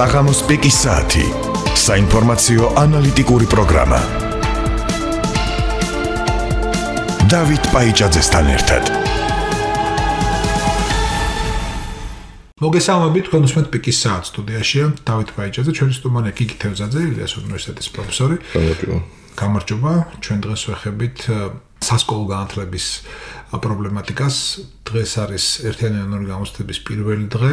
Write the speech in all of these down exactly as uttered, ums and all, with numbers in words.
საღამოს პიკის საათი. საინფორმაციო ანალიტიკური პროგრამა. დავით პაიჭაძესთან ერთად. მოგესალმებით, თქვენ უსმენთ პიკის საათს სტუდიაშია დავით პაიჭაძე, ჩვენი სტუმარი გიგი თევზაძე, ილიას უნივერსიტეტის პროფესორი. გამარჯობა. გამარჯობა, ჩვენ დღეს ვეხებით სასკოლო განათლების პრობლემატიკას. დღეს არის ერთიანი იანვრის გამოცდების პირველი დღე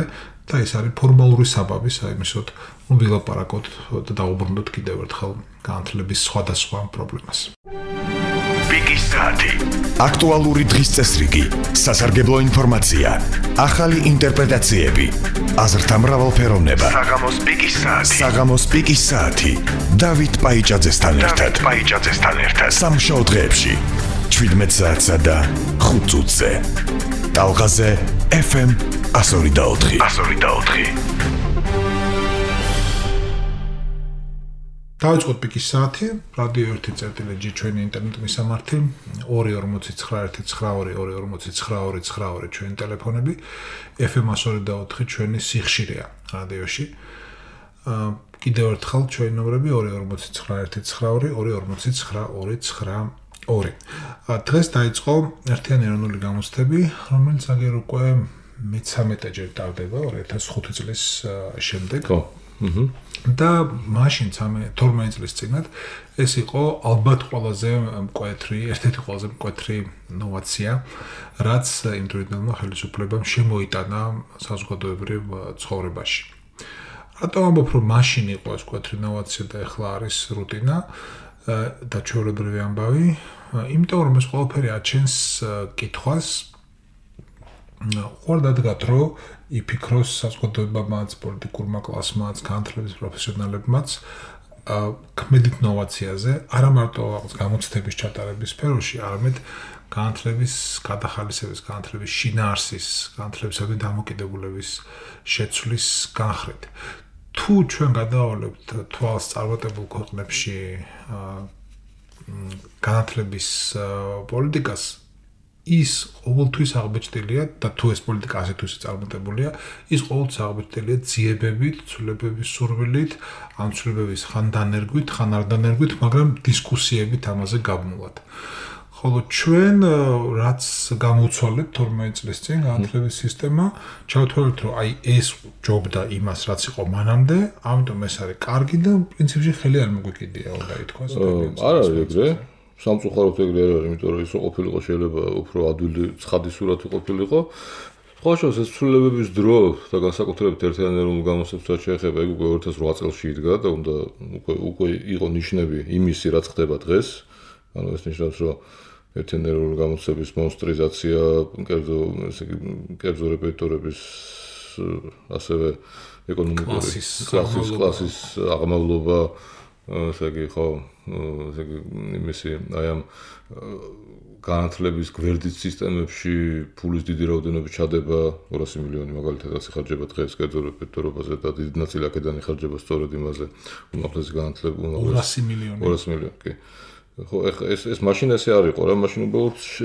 და ეს არის ფორმალური საბაბი საიმისოდ ვილაპარაკოთ და დაუბრუნდოთ კიდევ ერთხელ განათლების სხვადასხვა პრობლემას. პიკის საათი. აქტუალური დღის წესრიგი, სასარგებლო ინფორმაცია, ახალი ინტერპრეტაციები, აზრთა მრავალფეროვნება. საღამოს პიკის საათი. საღამოს პიკის საათი. დავით პაიჭაძესთან ერთად. დავით პაიჭაძესთან ერთად. სამშაბათ დღეებში შვიდმეტ საათსა და ხუთ წუთზე. ტალღაზე ეფ ემ one oh four. one oh four. დავიწყოთ პიკის საათი, რადიო ერთი წერტილი ჯი ჩვენი ინტერნეტ მისამართი, ორი ორმოცი ცხრა ერთი ცხრა ორი ორი ორმოცი ცხრა ორი ცხრა ორი ჩვენი ტელეფონები, ეფ ემ one oh four ჩვენი სიხშირეა რადიოში. კიდევ ერთხელ ჩვენი ნომრები ორი ორმოცი ცხრა ერთი ცხრა ორი ორი ორმოცი ცხრა ორი ცხრა ორი. დღეს დაიწყო ერთიანი ეროვნული გამოცდები, რომელიც აგერ უკვე მეცამეტეჯერ ტარდება ორი ათას ხუთი წლის შემდეგ. ხო. აჰა. და მაშინ თორმეტ წლის წინათ ეს იყო ალბათ ყველაზე მკვეთრი, ერთ-ერთი ყველაზე მკვეთრი ნოვაცია, რაც იმ დროინდელმა ხელისუფლებამ შემოიტანა საზოგადოებრივ ცხოვრებაში. რატომ ამბობ, რომ მაშინ იყო ეს მკვეთრი ნოვაცია და ახლა არის რუტინა და ჩვეულებრივი ამბავი? იმიტომ რომ ეს ყველაფერი აჩენს კითხვას, ხوار დადგათ, რომ იფიქროს საზოგადოებამაც, პოლიტიკურმა კლასმაც, განათლების პროფესიონალებმაც ქმედით ნოვაციაზე, არა მარტო გამოცდების ჩატარების სფეროში, არამედ განათლების გადახალისების, განათლების შინაარსის, განათლებისადმი დამოკიდებულების შეცვლის განხრით. თუ ჩვენ გადავალებთ თვალს წარმატებულ ქვეყნებში განათლების პოლიტიკას, ის ყოველთვის აღბეჭდილია და თუ ეს პოლიტიკა ასეთვise წარმატებულია, ის ყოველთვის აღბეჭდილია ძიებებით, ცვლილებების სურვილით, ამ ცვლილებების ხან დანერგვით, ხან არ დანერგვით, მაგრამ დისკუსიებით ამაზე გაბმულად. ხოლო ჩვენ რაც გამოვცვალეთ თორმეტ წლის წინ განათლების სისტემა, ჩავთვალეთ, რომ აი ეს ჯობდა იმას, რაც იყო მანამდე, ამიტომ ეს არის კარგი და პრინციპში ხელი არ მოგვიკიდია, უნდა ითქვას. არა, ეგრე. სამწუხაროდ ეგრე არ არის, იმიტომ რომ ის ყოფილიყო შეიძლება უფრო ადვილი ცხადი სურათი ყოფილიყო. ხოშოს ეს ცვლილებების დრო და განსაკუთრებით ერთიანი ეროვნული გამოცდებს შეეხება, ეგ უკვე ორი ათას ოთხ წელს იდგა და უნდა უკვე უკვე იყო ნიშნები იმისი, რაც ხდება დღეს. ანუ ეს ნიშნავს, რომ ერთიანი ეროვნული გამოცდების მონსტრიზაცია, კერძო ესე იგი კერძო რეპეტიტორების ასევე ეკონომიკური კლასის კლასის აღმავლობა, ესე იგი ხო ესე იგი იმისი აი ამ განათლების გვერდით სისტემებში ფულის დიდი რაოდენობის ჩადება ორასი მილიონი მაგალითად რაც იხარჯება დღეს კერძო რეპეტიტორობაზე და დიდი ნაწილი აქედან იხარჯება სწორედ იმაზე უმაღლესი განათლება ორასი მილიონი ორასი მილიონი კი ხო ეხლა ეს ეს მაშინ ესე არ იყო რა მაშინ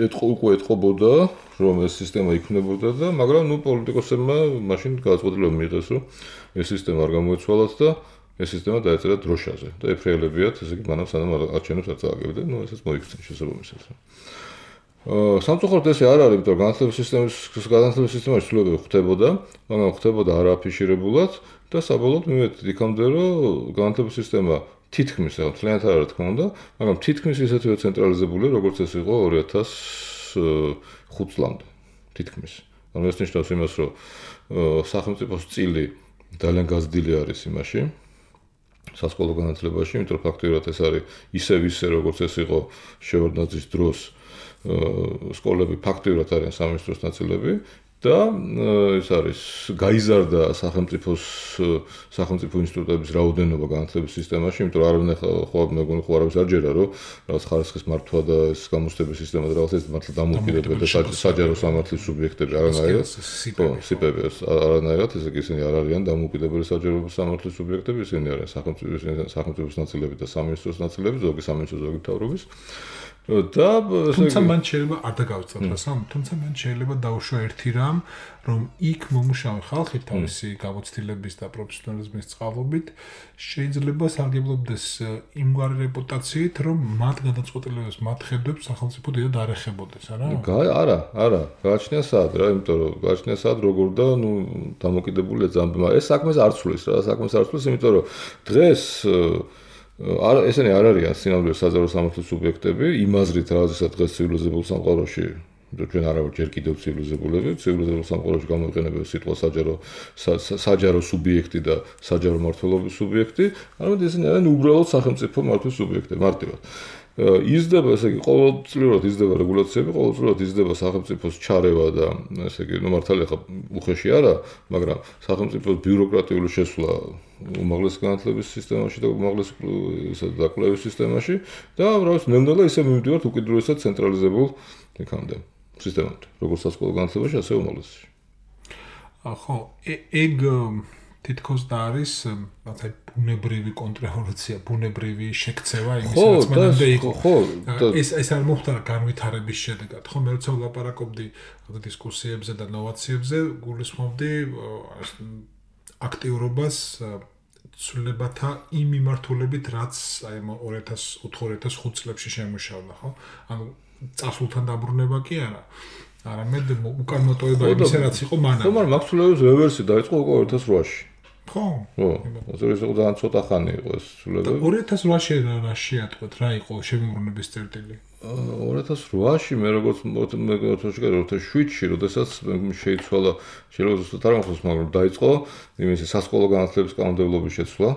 ეტყო უკვე ეტყობოდა რომ ეს სისტემა იქნებოდა და მაგრამ ნუ პოლიტიკოსებმა მაშინ გადაწყვეტილება მიიღეს რომ ეს სისტემა არ გამოეცვალათ და ეს სისტემა დაეწერა დროშაზე და ეფრეელებიათ ესე იგი მანამ სანამ არჩევნებს არ წააგებდა ნუ ესეც მოიქცნენ შესაბამისად. აა სამწუხაროდ ესე არ არის, იმიტომ რომ განათლების სისტემის განათლების სისტემაში ცვლილებები ხდებოდა, მაგრამ ხდებოდა არააფიშირებულად და საბოლოოდ მივედით იქამდე რომ განათლების სისტემა თითქმის ახლა თლიანად არ არის თქმა უნდა, მაგრამ თითქმის ისეთივე ცენტრალიზებულია, როგორც ეს იყო ორი ათას ხუთ წლამდე. თითქმის. ანუ ეს ნიშნავს იმას, რომ სახელმწიფოს წილი ძალიან გაზრდილი არის იმაში სასკოლო განათლებაში, იმიტომ რომ ფაქტობრივად ეს არის ისევ ისე როგორც ეს იყო შევარდნაძის დროს სკოლები ფაქტობრივად არიან სამინისტროს ნაწილები და ეს არის გაიზარდა სახელმწიფოს სახელმწიფო ინსტიტუტების რაოდენობა განათლების სისტემაში, იმიტომ რომ არავინ ხო მეგონი ხო არავის არ ჯერა რომ რაღაც ხარისხის მართვა და ეს გამოცდების სისტემა და რაღაც ეს მართლა დამოუკიდებელ და საჯარო სამართლის სუბიექტები არანაირად ხო სიპები არანაირად ესე იგი ისინი არ არიან დამოუკიდებელი საჯარო სამართლის სუბიექტები, ისინი არიან სახელმწიფოს სახელმწიფოს ნაწილები და სამინისტროს ნაწილები, ზოგი სამინისტრო ზოგი მთავრობის და თუმცა მან შეიძლება არ დაგავიწყოთ რასამ, თუმცა მან შეიძლება დაუშვა ერთი რამ, რომ იქ მომუშავე ხალხი თავისი გამოცდილების და პროფესიონალიზმის წყალობით შეიძლება სარგებლობდეს იმგვარი რეპუტაციით, რომ მათ გადაწყვეტილებებს, მათ ხედვებს სახელმწიფო დიდად არ ეხებოდეს, არა? არა, არა, გააჩნია სად რა, იმიტომ რომ გააჩნია სად როგორ და ნუ დამოკიდებულია ძამბმა. ეს საქმეს არ ცვლის რა, საქმეს არ ცვლის, იმიტომ რომ დღეს არა ესენი არ არიან სინამდვილეს საჯარო სამართლის სუბიექტები, იმაზრით რაღაცა დღეს ცივილიზებულ სამყაროში ჩვენ არა ვარ ჯერ კიდევ ცივილიზებულები, ცივილიზებულ სამყაროში გამოიყენება სიტყვა საჯარო საჯარო სუბიექტი და საჯარო მმართველობის სუბიექტი, არამედ ესენი არიან უბრალოდ სახელმწიფო მართვის სუბიექტები მარტივად. იზრდება, ესე იგი, ყოველწლიურად იზრდება რეგულაციები, ყოველწლიურად იზრდება სახელმწიფოს ჩარევა და ესე იგი, ნუ მართალია ხა უხეში არა, მაგრამ სახელმწიფოს ბიუროკრატიული შესვლა უმაღლესი განათლების სისტემაში და უმაღლესი ისა დაკვლევის სისტემაში და რა ვიცი, ნელ-ნელა ისე მივდივართ უკიდურესად ცენტრალიზებულ იქამდე სისტემამდე, როგორც სასკოლო განათლებაში, ასე უმაღლესში. ხო, ეგ თითქოს და არის რაღაცა ბუნებრივი კონტრრევოლუცია, ბუნებრივი შექცევა იმის რაც მანამდე იყო. ხო, ეს ეს არ მოხდა განვითარების შედეგად. ხო, მე როცა ვლაპარაკობდი დისკუსიებზე და ნოვაციებზე, გულისხმობდი აქტიურობას ცვლილებათა იმ მიმართულებით, რაც აი ორი ათას ოთხი ორი ათას ხუთ წლებში შემუშავდა, ხო? ანუ წასულთან დაბრუნება კი არა. არამედ უკანმოტოება იმისა, რაც იყო მანამდე. ხო, მაგრამ მაქსულევის რევერსი დაიწყო უკვე ორი ათას რვაში. ხო. ხო, ეს იყო ძალიან ცოტა ხანი იყო ეს ცვლილებები. ორი ათას რვაში რა შეატყვეთ, რა იყო შემოღრმების წერტილი? ორი ათას რვაში მე როგორც მე ორი ათას შვიდში, როდესაც შეიცვალა, შეიძლება ზუსტად არ მახსოვს, მაგრამ დაიწყო იმისი სასკოლო განათლების კანონმდებლობის შეცვლა.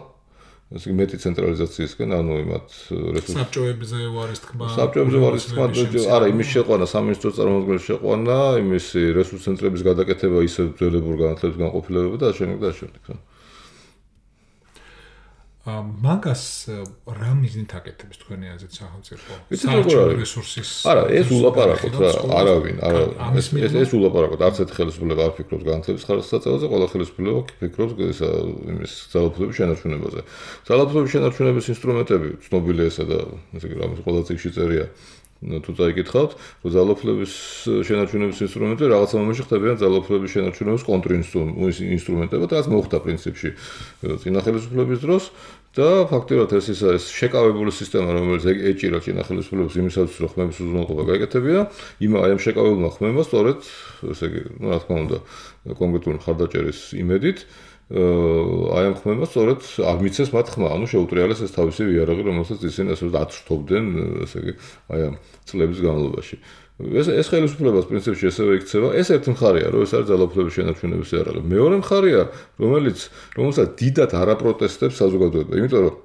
ესე მეტი ცენტრალიზაციისკენ, ანუ იმათ რესურსებზე საბჭოებზე ვარის თქმა. საბჭოებზე ვარის თქმა, არა, იმის შეყვანა, სამინისტროს წარმოადგენლის შეყვანა, იმისი რესურს ცენტრების გადაკეთება, ისე ძველებურ განათლების განყოფილებება და ასე შემდეგ და ასე შემდეგ. მაგას რა მიზნით აკეთებს თქვენი აზრით სახელმწიფო? საბჭო რესურსის. არა, ეს ულაპარაკოთ რა, არავინ, არა, ეს ეს ულაპარაკოთ, არც ერთ ხელისუფლება არ ფიქრობს განათლების ხარისხის საწევაზე, ყველა ხელისუფლება ფიქრობს ისა იმის ძალაუფლების შენარჩუნებაზე. ძალაუფლების შენარჩუნების ინსტრუმენტები ცნობილია ესა და ესე იგი რამის ყველა წიგნში წერია. თუ წაიკითხავთ, რომ ძალაუფლების შენარჩუნების ინსტრუმენტები რაღაცა მომენტში ხდებიან ძალაუფლების შენარჩუნების კონტრინსტრუმენტები, რაც მოხდა პრინციპში წინა ხელისუფლების დროს და ფაქტობრივად ეს ის ეს შეკავებული სისტემა, რომელიც ეჭირა წინა ხელისუფლებას იმისათვის, რომ ხმების უზრუნველყოფა გაეკეთებინა, იმ აი ამ შეკავებულმა ხმებმა სწორედ, ესე იგი, ну, რა თქმა უნდა, კონკრეტული მხარდაჭერის იმედით აი ამ ხმებმა სწორედ არ მიცეს მათ ხმა, ანუ შეუტრიალეს ეს თავისი იარაღი, რომელსაც ისინი ასე აცრთობდნენ, ესე იგი, აი ამ წლების განმავლობაში. ეს ეს ხელისუფლებას პრინციპში ესევე იქცევა. ეს ერთი მხარეა, რომ ეს არის ძალაუფლების შენარჩუნების იარაღი. მეორე მხარეა, რომელიც რომელსაც დიდად არაპროტესტებს საზოგადოება, იმიტომ რომ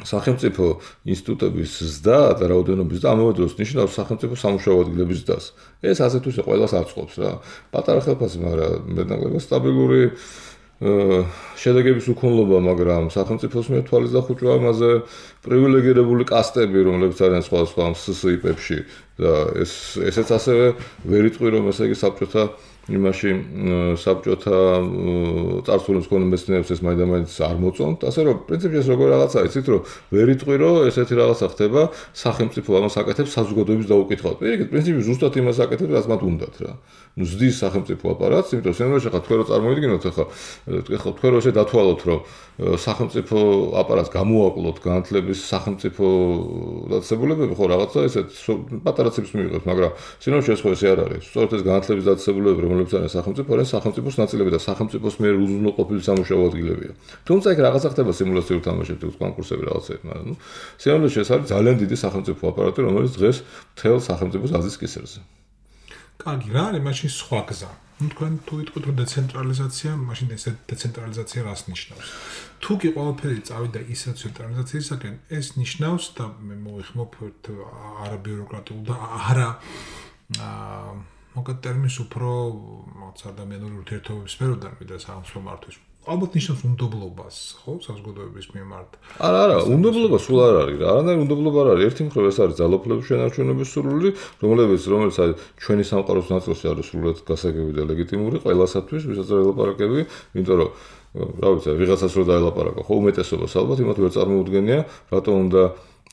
სახელმწიფო ინსტიტუტების ზრდა და რაოდენობის და ამავე დროს ნიშნავს სახელმწიფო სამუშაო ადგილების ზრდას. ეს ასე თუ ისე ყველას აწყობს რა. პატარა ხელფასი, მაგრამ მეტნაკლებად სტაბილური შედეგების უქონლობა, მაგრამ სახელმწიფოს მიერ თვალის დახუჭვა ამაზე პრივილეგირებული კასტები, რომლებიც არიან სხვადასხვა სსიპებში და ეს ესეც ასევე ვერ იტყვი, რომ ესე იგი საბჭოთა იმაში საბჭოთა წარსულის მქონე მეცნიერებს ეს მაინდა-მაინც არ მოწონთ, ასე რომ პრინციპში ეს როგორ რაღაცა იცით, რომ ვერ იტყვი, რომ ესეთი რაღაცა ხდება, სახელმწიფო ამას აკეთებს საზოგადოების დაუკითხავთ. პირიქით, პრინციპში ზუსტად იმას აკეთებს, რაც მათ უნდათ რა. ნუ ზრდის სახელმწიფო აპარატს, იმიტომ რომ სენერში ხა თქვენ რო წარმოიდგინოთ, ახლა ახლა თქვენ რო ესე დათვალოთ, რომ სახელმწიფო აპარატს გამოაკლოთ განათლების სახელმწიფო დაწესებულებები, ხო რაღაცა ესეთ პატარაცებს მიიღოთ, მაგრამ სენერში ეს ხო ესე არ არის. სწორედ ეს განათლების დაწესებულებები, რომლებიც არის სახელმწიფო, არის სახელმწიფოს ნაწილები და სახელმწიფოს მიერ უზრუნველყოფილი სამუშაო ადგილებია. თუმცა იქ რაღაცა ხდება სიმულაციურ თამაშებში, კონკურსები რაღაცები, მაგრამ ნუ სენერში ეს არის ძალიან დიდი სახელმწიფო აპარატი, რომელიც დღეს მთელ სახელმწიფოს აზის კისერზე. კარგი, რა არის მაშინ სხვა გზა? ნუ თქვენ თუ იტყვით რომ დეცენტრალიზაცია, მაშინ ეს დეცენტრალიზაცია რას ნიშნავს? თუ კი ყველაფერი წავიდა ისე ცენტრალიზაციისაკენ, ეს ნიშნავს და მე მოვიხმობ არაბიუროკრატიულ და არა აა მოგეთ ტერმინს უფრო რაღაც ადამიანური ურთიერთობების სფეროდან ვიდრე სახელმწიფო მართვის. ალბათ ნიშნავს უნდობლობას, ხო, საზოგადოების მიმართ. არა, არა, უნდობლობა სულ არ არის რა. არანაირი უნდობლობა არ არის. ერთი მხრივ ეს არის ძალაუფლების შენარჩუნების სურვილი, რომელიც რომელიც არის ჩვენი სამყაროს ნაწილში არის სრულად გასაგები და ლეგიტიმური ყველასათვის, ვისაც ელაპარაკები, იმიტომ რომ რა ვიცი, ვიღაცას რო დაელაპარაკო, ხო, უმეტესობას ალბათ იმათ ვერ წარმოუდგენია, რატომ უნდა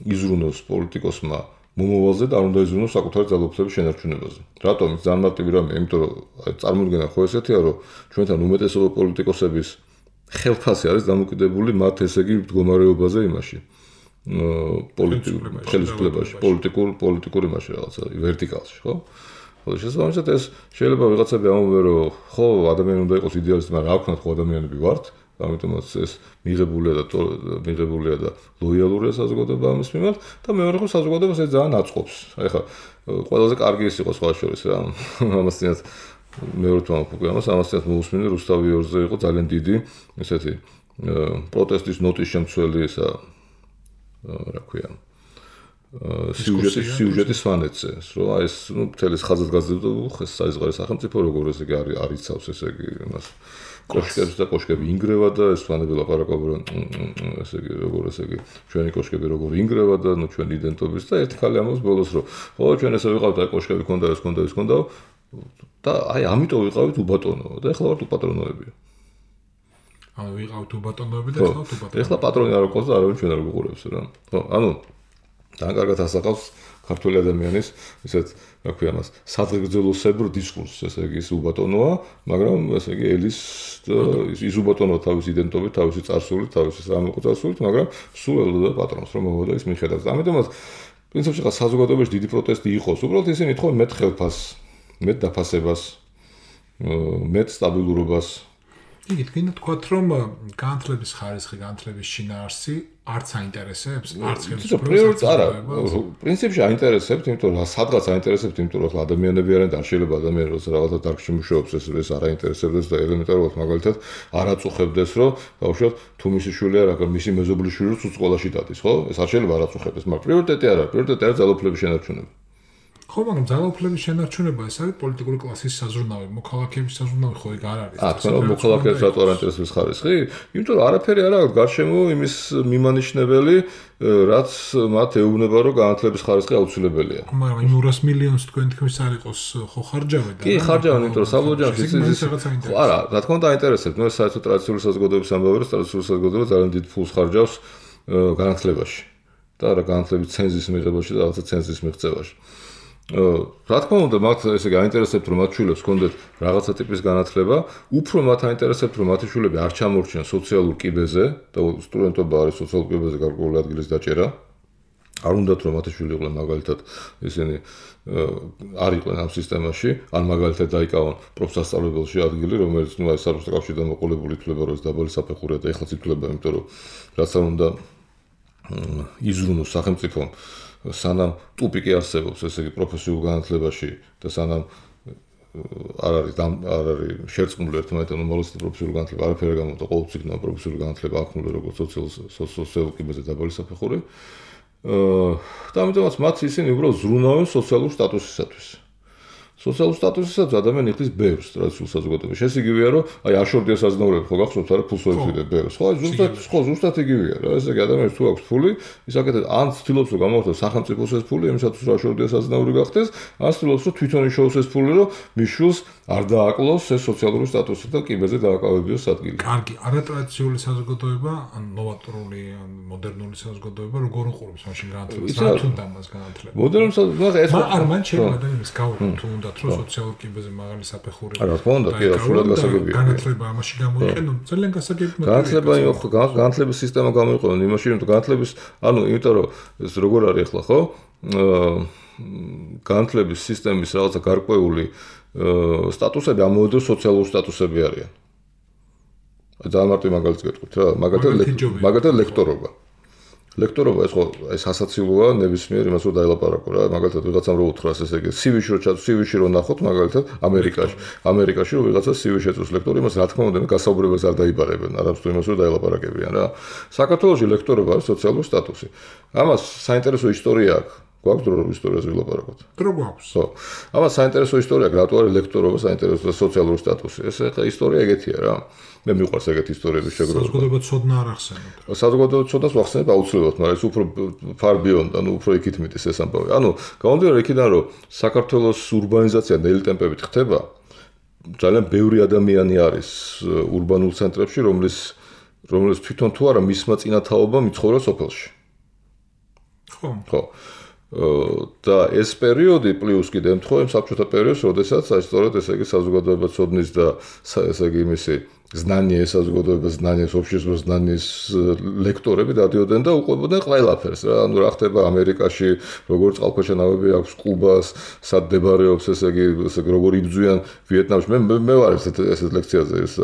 იზრუნოს პოლიტიკოსმა მომავალზე და არ უნდა იზრუნოს საკუთარი ძალაუფლების შენარჩუნებაზე. რატომ? ძალიან მარტივი რამეა, იმიტომ რომ წარმოუდგენა ხო ესეთია, რომ ჩვენთან უმეტესობა პოლიტიკოსების ხელფასი არის დამოკიდებული მათ ესე იგი მდგომარეობაზე იმაში. პოლიტიკურ ხელისუფლებაში, პოლიტიკურ პოლიტიკურ იმაში რაღაცა ვერტიკალში, ხო? ხო, შესაბამისად ეს შეიძლება ვიღაცები ამბობენ, რომ ხო, ადამიანი უნდა იყოს იდეალისტი, მაგრამ რა ვქნათ, ხო ადამიანები ვართ, ამიტომაც ეს მიღებულია და მიღებულია და ლოიალურია საზოგადოება ამის მიმართ და მეორე ხო საზოგადოებას ეს ძალიან აწყობს. აი ხა ყველაზე კარგი ის იყო სხვა შორის რა. ამასთანაც მეორე თვამ უკვე ამას ამასთანაც მოусმინე რუსთავი ორზე იყო ძალიან დიდი ესეთი პროტესტის ნოტის შემცველი ისა რა ქვია სიუჟეტის სიუჟეტის ფანეთზე, რომ აი ეს ნუ მთელი ხაზადგაზრდა ხეს საიზღარი სახელმწიფო როგორ ესე იგი არის არიცავს ესე იგი იმას კოშკებს და კოშკები ინგრევა და ეს ფანები ლაპარაკობენ ესე იგი როგორ ესე იგი ჩვენი კოშკები როგორ ინგრევა და ნუ ჩვენი იდენტობის და ერთი ხალი ამბობს ბოლოს რომ ხო ჩვენ ესე ვიყავთ აი კოშკები ქონდა ეს ქონდა ეს ქონდა და აი ამიტომ ვიყავით უბატონო და ეხლა ვართ უპატრონოები. ანუ ვიყავთ უბატონოები და ეხლა ვართ უბატონოები. ეხლა პატრონი არ ყავს და არავინ ჩვენ არ გვიყურებს რა. ხო, ანუ ძალიან კარგად ასახავს ქართული ადამიანის ისეთ რა ქვია მას სადღეგრძელოსებურ დისკურსს, ესე იგი ის უბატონოა, მაგრამ ესე იგი ელის ის უბატონოა თავის იდენტობით, თავისი წარსულით, თავისი სამეფო წარსულით, მაგრამ სულ ელოდა პატრონს რომ მოვიდა ის მიხედავს. ამიტომაც პრინციპში ხა საზოგადოებაში დიდი პროტესტი იყოს, უბრალოდ ისინი ეთქვა მეტ ხელფასს, მეტ დაფასებას, მეტ სტაბილურობას. იგი თქვენ თქვათ რომ განათლების ხარისხი, განათლების შინაარსი არც აინტერესებს, არც ხელისუფლებას არა. პრინციპში აინტერესებს, იმიტომ რომ სადღაც აინტერესებს, იმიტომ რომ ადამიანები არიან და არ შეიძლება ადამიანი როცა რაღაცა დარგში მუშაობს, ეს ეს არ აინტერესებდეს და ელემენტარულად მაგალითად არ აწუხებდეს, რომ ბავშვად თუ მისი შვილია რა, მისი მეზობლის შვილი თუ სკოლაში დადის, ხო? ეს არ შეიძლება არ აწუხებდეს, მაგრამ პრიორიტეტი არა, პრიორიტეტი არის ძალაუფლების შენარჩუნება. ხო, მაგრამ ძალაუფლების შენარჩუნება ეს არის პოლიტიკური კლასის საზრუნავი, მოქალაქეების საზრუნავი ხო ეგ არ არის. აა, თქვენ რომ მოქალაქეებს რატო არ აინტერესებს ხარისხი? იმიტომ რომ არაფერი არ აქვს გარშემო იმის მიმანიშნებელი, რაც მათ ეუბნება, რომ განათლების ხარისხი აუცილებელია. მაგრამ იმ ორას მილიონს თქვენ თქმის არ იყოს ხო ხარჯავენ და კი, ხარჯავენ, იმიტომ რომ საბოლოოში ის ხო არა, რა თქმა უნდა აინტერესებს. ნუ ეს საერთოდ ტრადიციული საზოგადოების ამბავი, რომ ტრადიციული საზოგადოება ძალიან დიდ ფულს ხარჯავს განათლებაში და რა განათლების ცენზის მიღებაში და რაღაცა ცენზის მიღწევაში. რა თქმა უნდა, მათ ესე იგი აინტერესებთ, რომ მათ შვილებს ჰქონდეთ რაღაცა ტიპის განათლება, უფრო მათ აინტერესებთ, რომ მათი შვილები არ ჩამორჩნენ სოციალურ კიბეზე და სტუდენტობა არის სოციალურ კიბეზე გარკვეული ადგილის დაჭერა. არ უნდათ რომ მათი შვილი იყვნენ მაგალითად ისინი არ იყვნენ ამ სისტემაში, ან მაგალითად დაიკავონ პროფსასწავლებელში ადგილი, რომელიც ნუ აი საბჭოთა კავშირი დამოყოლებული ითვლება, რომ ეს დაბალი საფეხურია და ეხლაც ითვლება, იმიტომ რომ რაც არ უნდა იზრუნოს სახელმწიფომ სანამ ტუპიკი არსებობს, ესე იგი პროფესიულ განათლებაში და სანამ არ არის არ არის შერწყმული ერთმანეთთან უმალოს პროფესიული განათლება, არაფერი გამომდა ყოველწლინა პროფესიული განათლება აქმნული როგორც სოციალურ კიბეზე დაბალი საფეხური. და ამიტომაც მათ ისინი უბრალოდ ზრუნავენ სოციალურ სტატუსისათვის. სოციალურ სტატუსისათვის ადამიანი იხდის ბევრს ტრადიციულ საზოგადოებაში. ეს იგივეა, რომ აი აშორდია საზნაურები, ხო გახსოვთ არა, ფულს ვეძებდეთ ბევრს. ხო, ზუსტად, ხო, ზუსტად იგივეა რა. ესე იგი ადამიანს თუ აქვს ფული, ის აკეთებს ან ცდილობს რომ გამოხდეს სახელმწიფოს ეს ფული, იმისათვის რომ აშორდია საზნაური გახდეს, ან ცდილობს რომ თვითონ იშოვოს ეს ფული, რომ მის შვილს არ დააკლოს ეს სოციალური სტატუსი და კიბეზე დააკავებიოს ადგილი. კარგი, არატრადიციული საზოგადოება, ან ნოვატორული, ან მოდერნული საზოგადოება როგორ უყურებს მაშინ განათლებას? რა თუნდა მას განათლება? მოდერნული საზოგადოება ეს არ მან შეიძლება ადამიანის გავუყო თუ უნდა რომ სოციალურ კიბეზე მაღალი საფეხური. არა, თქმა უნდა, კი, სულად გასაგებია. განათლება ამაში გამოიყენო, ძალიან გასაგებია. განათლება, ხო, განათლების სისტემა გამოიყენო იმაში, რომ განათლების, ანუ იმიტომ რომ ეს როგორ არის ახლა, ხო? განათლების სისტემის რაღაცა გარკვეული სტატუსები ამოედო სოციალური სტატუსები არიან. ძალიან მარტივ მაგალითს გეტყვით რა, მაგალითად მაგალითად ლექტორობა. ლექტორობა ეს ხო ეს ასაცილოა ნებისმიერ იმას რომ დაელაპარაკო რა, მაგალითად ვიღაცამ რო უთხრას ესე იგი სივიში რო ჩაწ სივიში რო ნახოთ მაგალითად ამერიკაში. ამერიკაში რო ვიღაცა სივიში ეწოს ლექტორი, იმას რა თქმა უნდა გასაუბრებას არ დაიბარებენ, არამედ თუ იმას რომ დაელაპარაკებიან რა. საქართველოში ლექტორობა არის სოციალური სტატუსი. ამას საინტერესო ისტორია აქვს. გვაქვს დრო რომ ისტორიაზე ვილაპარაკოთ. დრო გვაქვს. ხო. ამას საინტერესო ისტორია აქვს, რატო არის ლექტორობა საინტერესო სოციალური სტატუსი. ეს ახლა ისტორია ეგეთია რა. მე მიყვარს ეგეთი ისტორიების შეგროვება. საზოგადოება ცოდნა არ ახსენებთ. საზოგადოება ცოდნას ვახსენებ აუცილებლად, მაგრამ ეს უფრო ფარბიონ და ნუ უფრო იქით მიდის ეს ამბავი. ანუ გამომდინარე იქიდან რომ საქართველოს ურბანიზაცია ნელი ტემპებით ხდება, ძალიან ბევრი ადამიანი არის ურბანულ ცენტრებში, რომლის რომლის თვითონ თუ არა მისმა წინათაობა მიცხოვრა სოფელში. ხო. ხო. და ეს პერიოდი პლუს კიდე ემთხვევა საბჭოთა პერიოდს, როდესაც სწორედ ესე იგი საზოგადოება ცოდნის და ესე იგი იმისი знание საზოგადოების знание, общество знаниes ლექტორები დადიოდნენ და უყვებოდნენ ყველაფერს რა. ანუ რა ხდება ამერიკაში, როგორ წყალქვეშა-ნავები აქვს კუბას, სად მდებარეობს ესე იგი, ესე იგი როგორ იბძვიან ვიეტნამში. მე მე ვარ ესეთ ესეთ ლექციაზე ეს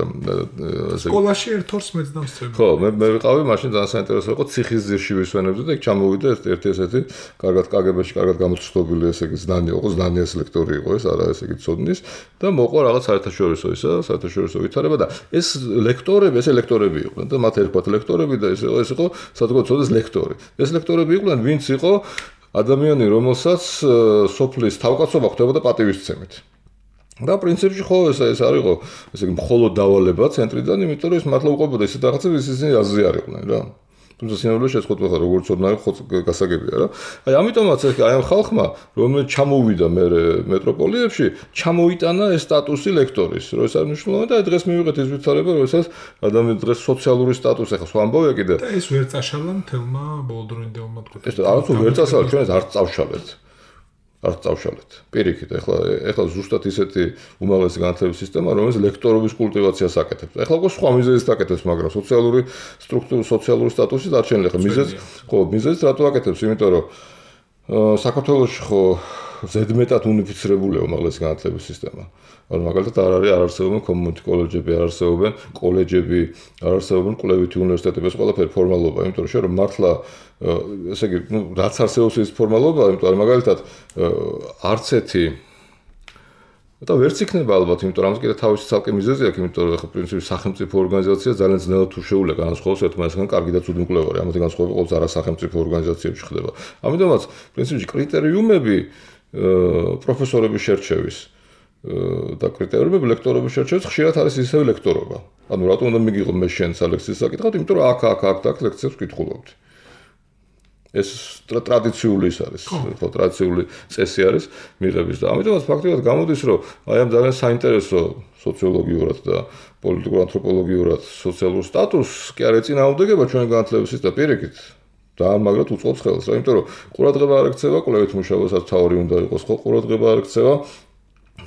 ესე სკოლაში ერთ ორს მეცდამს წები. ხო, მე მე ვიყავი, მაშინ ძალიან საინტერესო იყო ციხის ძირში ვისვენებდი და იქ ჩამოვიდა ერთი ესეთი კარგად კაგებაში კარგად გამოცხადებული ესე იგი знание იყო, знание-ის ლექტორი იყო ეს, არა ესე იგი ცოდნის და მოყვა რაღაც საერთაშორისო ისა, საერთაშორისო ვითარება და ეს ლექტორები, ეს ლექტორები იყვნენ და მათ ერქვათ ლექტორები და ეს იყო ეს იყო საზოგადოების ლექტორი. ეს ლექტორები იყვნენ, ვინც იყო ადამიანი, რომელსაც სოფლის თავკაცობა ხდებოდა პატივისცემით. და პრინციპში ხო ეს ეს არ იყო, ესე იგი მხოლოდ დავალება ცენტრიდან, იმიტომ რომ ეს მართლა უყვებოდა ისეთ რაღაცებს, ისინი აზრი არ იყვნენ რა. თუმცა სინამდვილეში შეხვდა ხარ როგორც ოდნავ გასაგებია რა. აი ამიტომაც აი ამ ხალხმა რომელიც ჩამოვიდა მე მეტროპოლიებში ჩამოიტანა ეს სტატუსი ლექტორის რო ეს არ მნიშვნელოვანია და დღეს მივიღეთ ეს ვითარება როდესაც ადამიანი დღეს სოციალური სტატუსი ახლა სხვა ამბავია კიდე და ეს ვერ წაშალა მთელმა ბოლოდროინდელმა თქვა ეს არც ვერ წასალა ჩვენ ეს არ წავშალეთ არ წავშალეთ პირიქით ახლა ახლა ზუსტად ისეთი უმაღლესი განათლების სისტემა რომელიც ლექტორობის კულტივაციას აკეთებს ახლა უკვე სხვა მიზეზით აკეთებს მაგრამ სოციალური სტრუქტურა სოციალური სტატუსი დარჩენილი ხა მიზეზ ხო მიზეზით რატო აკეთებს იმიტომ რომ საქართველოში ხო ზედმეტად უნიფიცირებულია უმაღლესი განათლების სისტემა ანუ მაგალითად არ არის არ არსებობენ community colleges-ები არ არსებობენ კოლეჯები არ არსებობენ კვლევითი უნივერსიტეტები ეს ყველაფერი ფორმალობა იმიტომ რომ შე რომ მართლა ესე იგი ნუ რაც არსებობს ის ფორმალობა იმიტომ რომ მაგალითად არც ერთი და ვერც იქნება ალბათ იმიტომ რომ ამას კიდე თავისი ცალკე მიზეზი აქვს იმიტომ რომ ხო პრინციპი სახელმწიფო ორგანიზაცია ძალიან ძნელად თუ შეუძლია განსხვავოს ერთმანეთისგან კარგი და ცუდი მკვლევარი ამათი განსხვავება ყოველთვის არასახელმწიფო ორგანიზაციებში ხდება ამიტომაც პრინციპში კრიტერიუმები პროფესორების შერჩევის და კრიტერიუმები ლექტორობის შერჩევის ხშირად არის ისევ ლექტორობა. ანუ რატომ უნდა მიგიღო მე შენ სალექციის საკითხად, იმიტომ რომ აქ აქ აქ აქ ლექციებს ვკითხულობდი. ეს ტრადიციული ის არის, ხო, ტრადიციული წესი არის მიღების და ამიტომაც ფაქტობრივად გამოდის, რომ აი ამ ძალიან საინტერესო სოციოლოგიურად და პოლიტიკურ ანთროპოლოგიურად სოციალურ სტატუსს კი არ ეწინააღმდეგება ჩვენი განათლების სისტემა პირიქით. და მაგრად უწყობს ხელს, რა, იმიტომ რომ ყურადღება არ ექცევა კვლევით მუშაობასაც თავი უნდა იყოს, ხო, ყურადღება არ ექცევა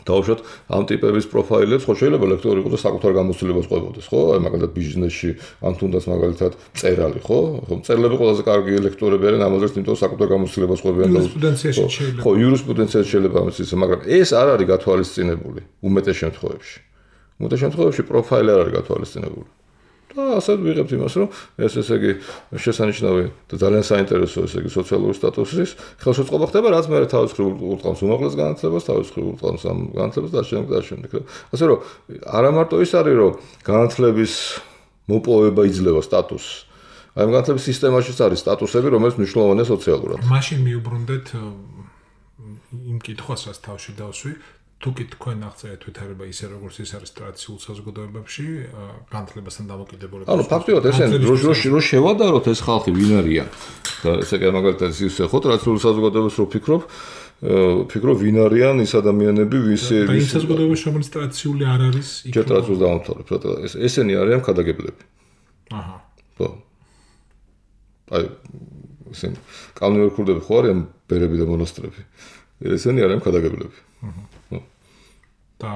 დაუშვათ ამ ტიპების პროფაილებს, ხო შეიძლება ლექტორი იყოს და საკუთარ გამოცდილებას ყვებოდეს, ხო? აი მაგალითად ბიზნესში, ან თუნდაც მაგალითად წერალი, ხო? ხო, წერლები ყველაზე კარგი ლექტორები არიან ამაზეც, იმიტომ რომ საკუთარ გამოცდილებას ყვებიან და იურისპრუდენციაში შეიძლება. ხო, იურისპრუდენციაში შეიძლება ამის ისე, მაგრამ ეს არ არის გათვალისწინებული უმეტეს შემთხვევებში. უმეტეს შემთხვევებში პროფაილი არ არის გათვალისწინებული. და ასე ვიღებთ იმას, რომ ეს ესე იგი შესანიშნავი და ძალიან საინტერესო ესე იგი სოციალური სტატუსის ხელშეწყობა ხდება, რაც მე თავის მხრივ ურტყამს უმაღლეს განათლებას, თავის მხრივ ურტყამს ამ განათლებას და შემდეგ და შემდეგ. ასე რომ არა მარტო ის არის, რომ განათლების მოპოვება იძლევა სტატუსს. აი ამ განათლების სისტემაშიც არის სტატუსები, რომელიც მნიშვნელოვანია სოციალურად. მაშინ მიუბრუნდეთ იმ კითხვას, რაც თავში დავსვი. თუ კი თქვენ აღწერეთ ვითარება ისე როგორც ის არის ტრადიციულ საზოგადოებებში განათლებასთან დამოკიდებულებით. ანუ ფაქტობრივად ესენ რო რო შევადაროთ ეს ხალხი ვინ არიან და ესე იგი მაგალითად ისე ხო ტრადიციულ საზოგადოებას რო ფიქრობ ფიქრობ ვინ არიან ის ადამიანები ვისი ის საზოგადოებაში რომელიც ტრადიციული არ არის იქ ტრადიციულს დავამთავრებ ეს ესენი არიან ქადაგებლები. აჰა. ხო. აი ესენ კანონიერი ქურდები ხო არიან ბერები და მონასტრები. ესენი არიან ქადაგებლები. აჰა. და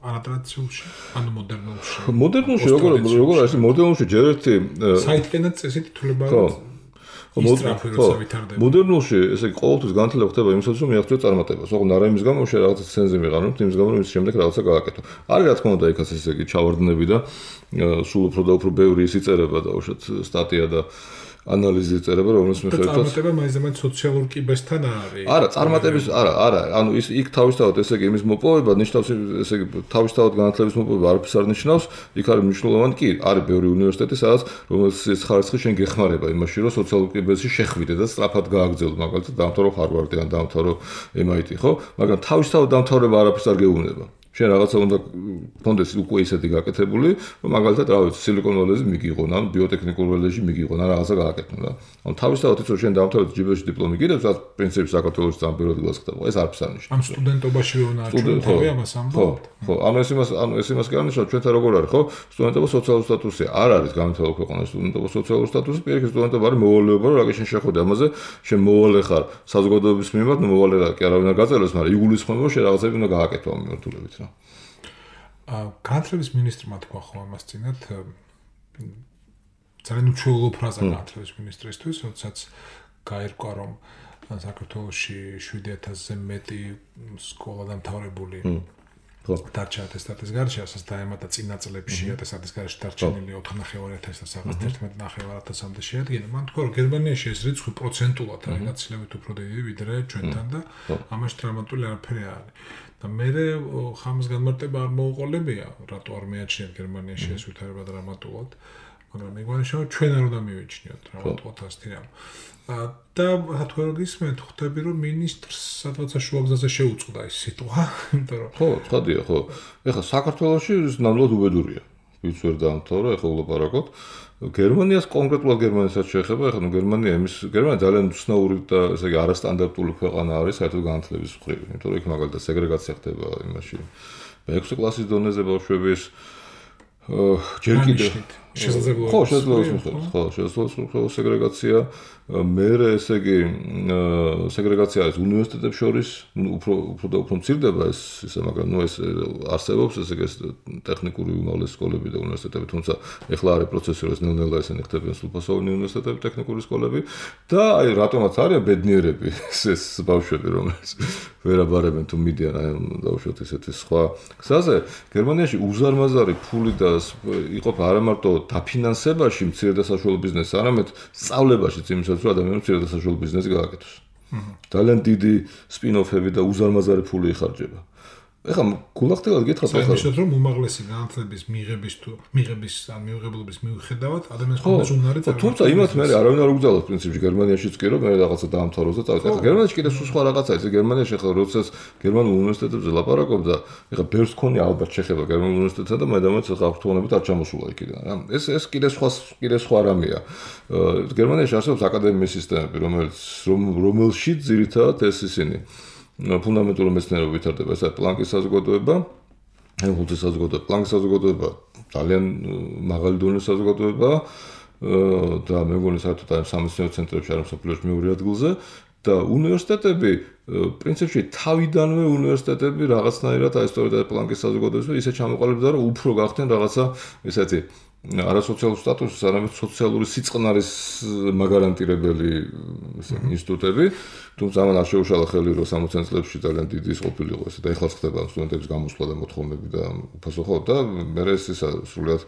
არატრადიციულში, ანუ მოდერნულში. მოდერნულში როგორ როგორ არის მოდერნულში ჯერ ერთი საიტკენად წესი თითოლებაა. ხო. მოდერნულში ესე იგი ყოველთვის განათლება ხდება იმისათვის რომ მიაღწიო წარმატებას. ოღონდ არა იმის გამო რომ რაღაცა ცენზი მიყანოთ, იმის გამო რომ ის შემდეგ რაღაცა გააკეთო. არის რა თქმა უნდა იქაც ესე იგი ჩავარდნები და სულ უფრო და უფრო ბევრი ისი წერება და უშოთ სტატია და ანალიზი წერება რომელს მიხედვით წარმატება მაინც სოციალურ კიბესთან არის. არა, წარმატების არა, არა, ანუ ის იქ თავისთავად ესე იგი იმის მოპოვება ნიშნავს ესე იგი თავისთავად განათლების მოპოვება არაფერს არ ნიშნავს, იქ არის მნიშვნელოვანი კი, არის ბევრი უნივერსიტეტი, სადაც რომელსაც ხარისხი შენ გეხმარება იმაში, რომ სოციალურ კიბეში შეხვიდე და სწრაფად გააგრძელო, მაგალითად, დაამთავრო ჰარვარდი ან დაამთავრო ემ აი ტი, ხო? მაგრამ თავისთავად დამთავრება არაფერს არ გეუბნება. შენ რაღაცა უნდა კონდეს უკვე ისეთი გაკეთებული, რომ მაგალითად რა ვიცი, სილიკონ ველეზე მიგიღონ, ან ბიოტექნიკურ ველეზე მიგიღონ, ან რაღაცა გააკეთონ და. ან თავისთავად იცი რომ შენ დავთავრეთ ჯიბეში დიპლომი კიდევ რაც პრინციპი საქართველოს ძალიან პირველად გასხდება. ეს არც არ ნიშნავს. ამ სტუდენტობაში ვენა ჩვენ თავი ამას ამბობთ. ხო, ანუ ეს იმას ანუ ეს იმას კი არ ნიშნავს ჩვენთან როგორ არის, ხო? სტუდენტობა სოციალური სტატუსი არ არის განვითარებულ ქვეყანაში სტუდენტობა სოციალური სტატუსი, პირიქით სტუდენტობა არის მოვალეობა, რომ რაგე შენ შეხვედე ამაზე, შენ მოვალე ხარ საზოგადოების მიმართ, ნუ მოვალე რა კი არავინ არ გაწეროს, მაგრამ იგულისხმება რომ შენ რაღაცები უნდა გააკეთო ამ მიმართულებით რა. განათლების მინისტრმა თქვა ხო ამას წინათ ძალიან უჩვეულო ფრაზა განათლების მინისტრისთვის, როდესაც გაირკვა რომ საქართველოში შვიდი ათასზე მეტი სკოლა დამთავრებული დარჩა ატესტატის გარშე, ასაც დაემატა წინა წლებში ატესტატის გარშე დარჩენილი ოთხნახევარი ათასი და ერთმეტ ნახევარ ათასამდე შეადგენა. მან თქვა რომ გერმანიაში ეს რიცხვი პროცენტულად არის გაცილებით უფრო დიდი ვიდრე ჩვენთან და ამაში დრამატული არაფერი არ არის. და მე ხამის განმარტება არ მოუყოლებია, რატო არ მეაჩნიათ გერმანიაში ეს ვითარება დრამატულად, მაგრამ მეგონა ჩვენ არ უნდა მივიჩნიოთ დრამატულად ასეთი რამ. და რატო არ გისმენთ, ხვდები რომ მინისტრს სადღაცა შუაგზაზე შეუწყდა ეს სიტყვა, იმიტომ რომ ხო, ცხადია, ხო. ეხლა საქართველოში ნამდვილად უბედურია. ვიც ვერ დაამთავრა, ეხლა ვლაპარაკობთ. გერმანიას კონკრეტულად გერმანიასაც შეეხება, ეხლა ნუ გერმანია იმის გერმანია ძალიან უცნაური და ესე იგი არასტანდარტული ქვეყანა არის საერთოდ განათლების მხრივ, იმიტომ რომ იქ მაგალითად სეგრეგაცია ხდება იმაში. მეექვსე კლასის დონეზე ბავშვების ჯერ კიდევ შესაძლებლობა ხო, შესაძლებლობა ხო, შესაძლებლობა სეგრეგაცია, მერე ესე იგი სეგრეგაცია არის უნივერსიტეტებს შორის, უფრო უფრო და უფრო მცირდება ეს ისე, მაგრამ ნუ ეს არსებობს ესე იგი ტექნიკური უმაღლესი სკოლები და უნივერსიტეტები, თუმცა ეხლა არის პროცესი, რომ ნელ-ნელა ესენი ხდებიან სრულფასოვანი უნივერსიტეტები, ტექნიკური სკოლები და აი რატომაც არიან ბედნიერები ეს ბავშვები, რომელიც ვერაბარებენ თუ მიდიან აი დავუშვათ ესეთი სხვა გზაზე. გერმანიაში უზარმაზარი ფული და იყოფა არა მარტო დაფინანსებაში მცირე და საშუალო ბიზნესს, არამედ სწავლებაშიც იმისაც, რომ ადამიანს მცირე და საშუალო ბიზნესი გააკეთოს. ძალიან დიდი სპინ-ოფები და უზარმაზარი ფული იხარჯება. ეხლა გულახდილად გითხრათ ახლა ისეთ რომ უმაღლესი განათლების მიღების თუ მიღების ან მიუღებლობის მიუხედავად ადამიანს ხონდეს უნარი წავიდა. თუმცა იმათ მე არავინ არ უგზავნოს პრინციპში გერმანიაშიც კი რომ მე რაღაცა დაამთავროს და წავიდა. ეხლა გერმანიაში კიდე სხვა რაღაცა ის გერმანიაში ახლა როდესაც გერმანულ უნივერსიტეტებზე ლაპარაკობ და ეხლა ბევრს ქონია ალბათ შეხება გერმანულ უნივერსიტეტსა და მე დამაც ახლა აქტუალობით არ ჩამოსულა იქიდან რა. ეს ეს კიდე სხვა კიდე სხვა რამეა. გერმანიაში არსებობს აკადემიის სისტემები რომელიც რომელშიც ძირითადად ეს ისინი ფუნდამენტური მეცნიერება ვითარდება, ეს არის პლანკის საზოგადოება, ჰელმჰოლცის საზოგადოება, პლანკის საზოგადოება, ძალიან მაღალი დონის საზოგადოება და მე მგონი საერთოდ ამ სამეცნიერო ცენტრებში არის მსოფლიოში მეორე ადგილზე და უნივერსიტეტები პრინციპში თავიდანვე უნივერსიტეტები რაღაცნაირად აი სწორედ პლანკის საზოგადოებას ისე ჩამოყალიბდა, რომ უფრო გახდნენ რაღაცა ესეთი არასოციალური სტატუსის, არამედ სოციალური სიწყნარის მაგარანტირებელი ინსტიტუტები, თუმცა ამან არ შეუშალა ხელი, რომ სამოციან წლებში ძალიან დიდი ის ყოფილიყო ესე და ეხლა ხდება სტუდენტების გამოსვლა და მოთხოვნები და უფასო ხო და მე ეს ისა სრულიად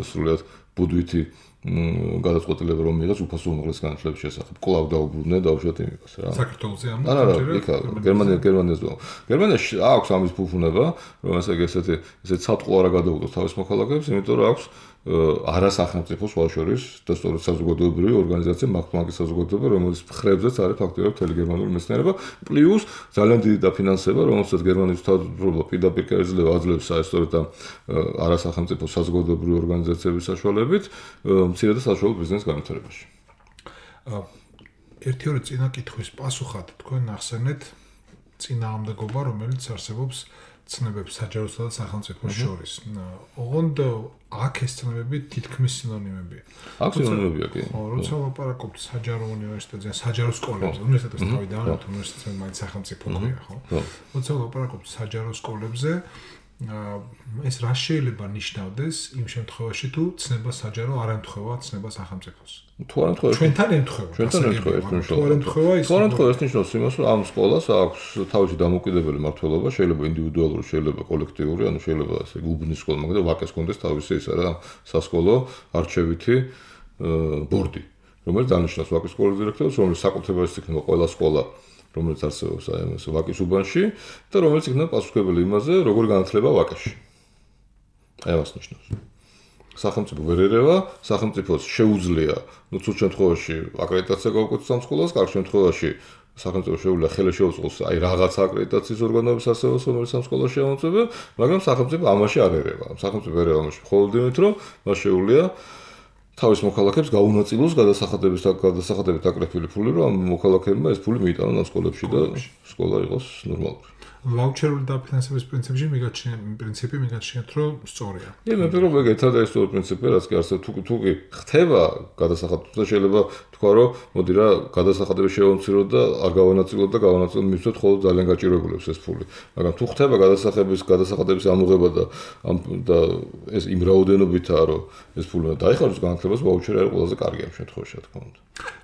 სრულიად ბუდვითი გადაწყვეტილება რომ მიიღეს უფასო უმაღლეს განათლების შესახებ. კვლავ დაუბრუნდნენ დავუშვათ იმას რა. საქართველოზე ამ არა, არა, იქა გერმანია გერმანიაზე. გერმანიაში აქვს ამის ფუფუნება, რომ ესე ესეთი ესე ცალკე არა გადაუგდოს თავის მოქალაქეებს, იმიტომ რომ აქვს არასახელმწიფო სხვა შორის და სწორედ საზოგადოებრივი ორგანიზაცია მართლმაგის საზოგადოება, რომელიც ხრებზეც არის ფაქტობრივად მთელი გერმანული მეცნიერება, პლუს ძალიან დიდი დაფინანსება, რომელსაც გერმანიის თავდაცვა პირდაპირ კერძლება აძლევს საერთოდ ამ არასახელმწიფო საზოგადოებრივი ორგანიზაციების საშუალებით მცირე და საშუალო ბიზნეს განვითარებაში. ერთი ორი წინა კითხვის პასუხად თქვენ ახსენეთ წინააღმდეგობა, რომელიც არსებობს ცნებებს საჯაროსა და სახელმწიფოს შორის. ოღონდ აქ ეს ცნებები თითქმის სინონიმებია. აქ სინონიმებია კი. ხო, როცა ვაპარაკობთ საჯარო უნივერსიტეტზე, საჯარო სკოლებზე, უნივერსიტეტის თავიდან, უნივერსიტეტს მაინც სახელმწიფო ქვია, ხო? როცა ვაპარაკობთ საჯარო სკოლებზე, ეს რა შეიძლება ნიშნავდეს იმ შემთხვევაში თუ ცნება საჯარო არ ემთხვევა ცნება სახელმწიფოს. თუ არ ემთხვევა. ჩვენთან ემთხვევა. ჩვენთან ემთხვევა ეს ნიშნავს. თუ არ ემთხვევა ის. თუ არ ემთხვევა ეს ნიშნავს იმას, რომ ამ სკოლას აქვს თავისი დამოუკიდებელი მმართველობა, შეიძლება ინდივიდუალური, შეიძლება კოლექტიური, ანუ შეიძლება ასე უბნის სკოლა, მაგრამ ვაკეს კონდეს თავისი ის რა სასკოლო არჩევითი ბორდი, რომელიც დანიშნავს ვაკის სკოლის დირექტორს, რომელიც საკუთრებას იქნება ყველა სკოლა რომელიც არსებობს აი ამ ვაკის უბანში და რომელიც იქნება პასუხობელი იმაზე, როგორ განათლება ვაკეში. აი ამას ნიშნავს. სახელმწიფო ვერ ერევა, სახელმწიფოს შეუძლია, ну, ცუდ შემთხვევაში აკრედიტაცია გაუკეთოს ამ სკოლას, კარგ შემთხვევაში სახელმწიფო შეუძლია ხელი შეუწყოს აი რაღაც აკრედიტაციის ორგანოების ასეულს, რომელიც ამ სკოლაში ამოწმებენ, მაგრამ სახელმწიფო ამაში არ ერევა. სახელმწიფო ერევა ამაში მხოლოდ იმით, რომ მას შეუძლია თავის მოქალაქეებს გაუნაწილოს გადასახადების გადასახადებით აკრეფილი ფული, რომ ამ მოქალაქეებმა ეს ფული მიიტანონ ამ სკოლებში და სკოლა იყოს ნორმალური. ვაუჩერული დაფინანსების პრინციპში მიგაჩნია პრინციპი მიგაჩნიათ რომ სწორია. კი, მე ფიქრობ ეგ ერთად ეს სწორი პრინციპია, რაც კი არსებობს. თუ თუ კი ხდება გადასახადები და შეიძლება თქვა რომ მოდი რა გადასახადები შევამციროთ და არ გავანაწილოთ და გავანაწილოთ მივცეთ ხოლმე ძალიან გაჭიროებულებს ეს ფული. მაგრამ თუ ხდება გადასახადების გადასახადების ამოღება და ამ და ეს იმ რაოდენობითაა რომ ეს ფული დაიხარჯოს განათლებას, ვაუჩერი არის ყველაზე კარგი ამ შემთხვევაში, რა თქმა უნდა.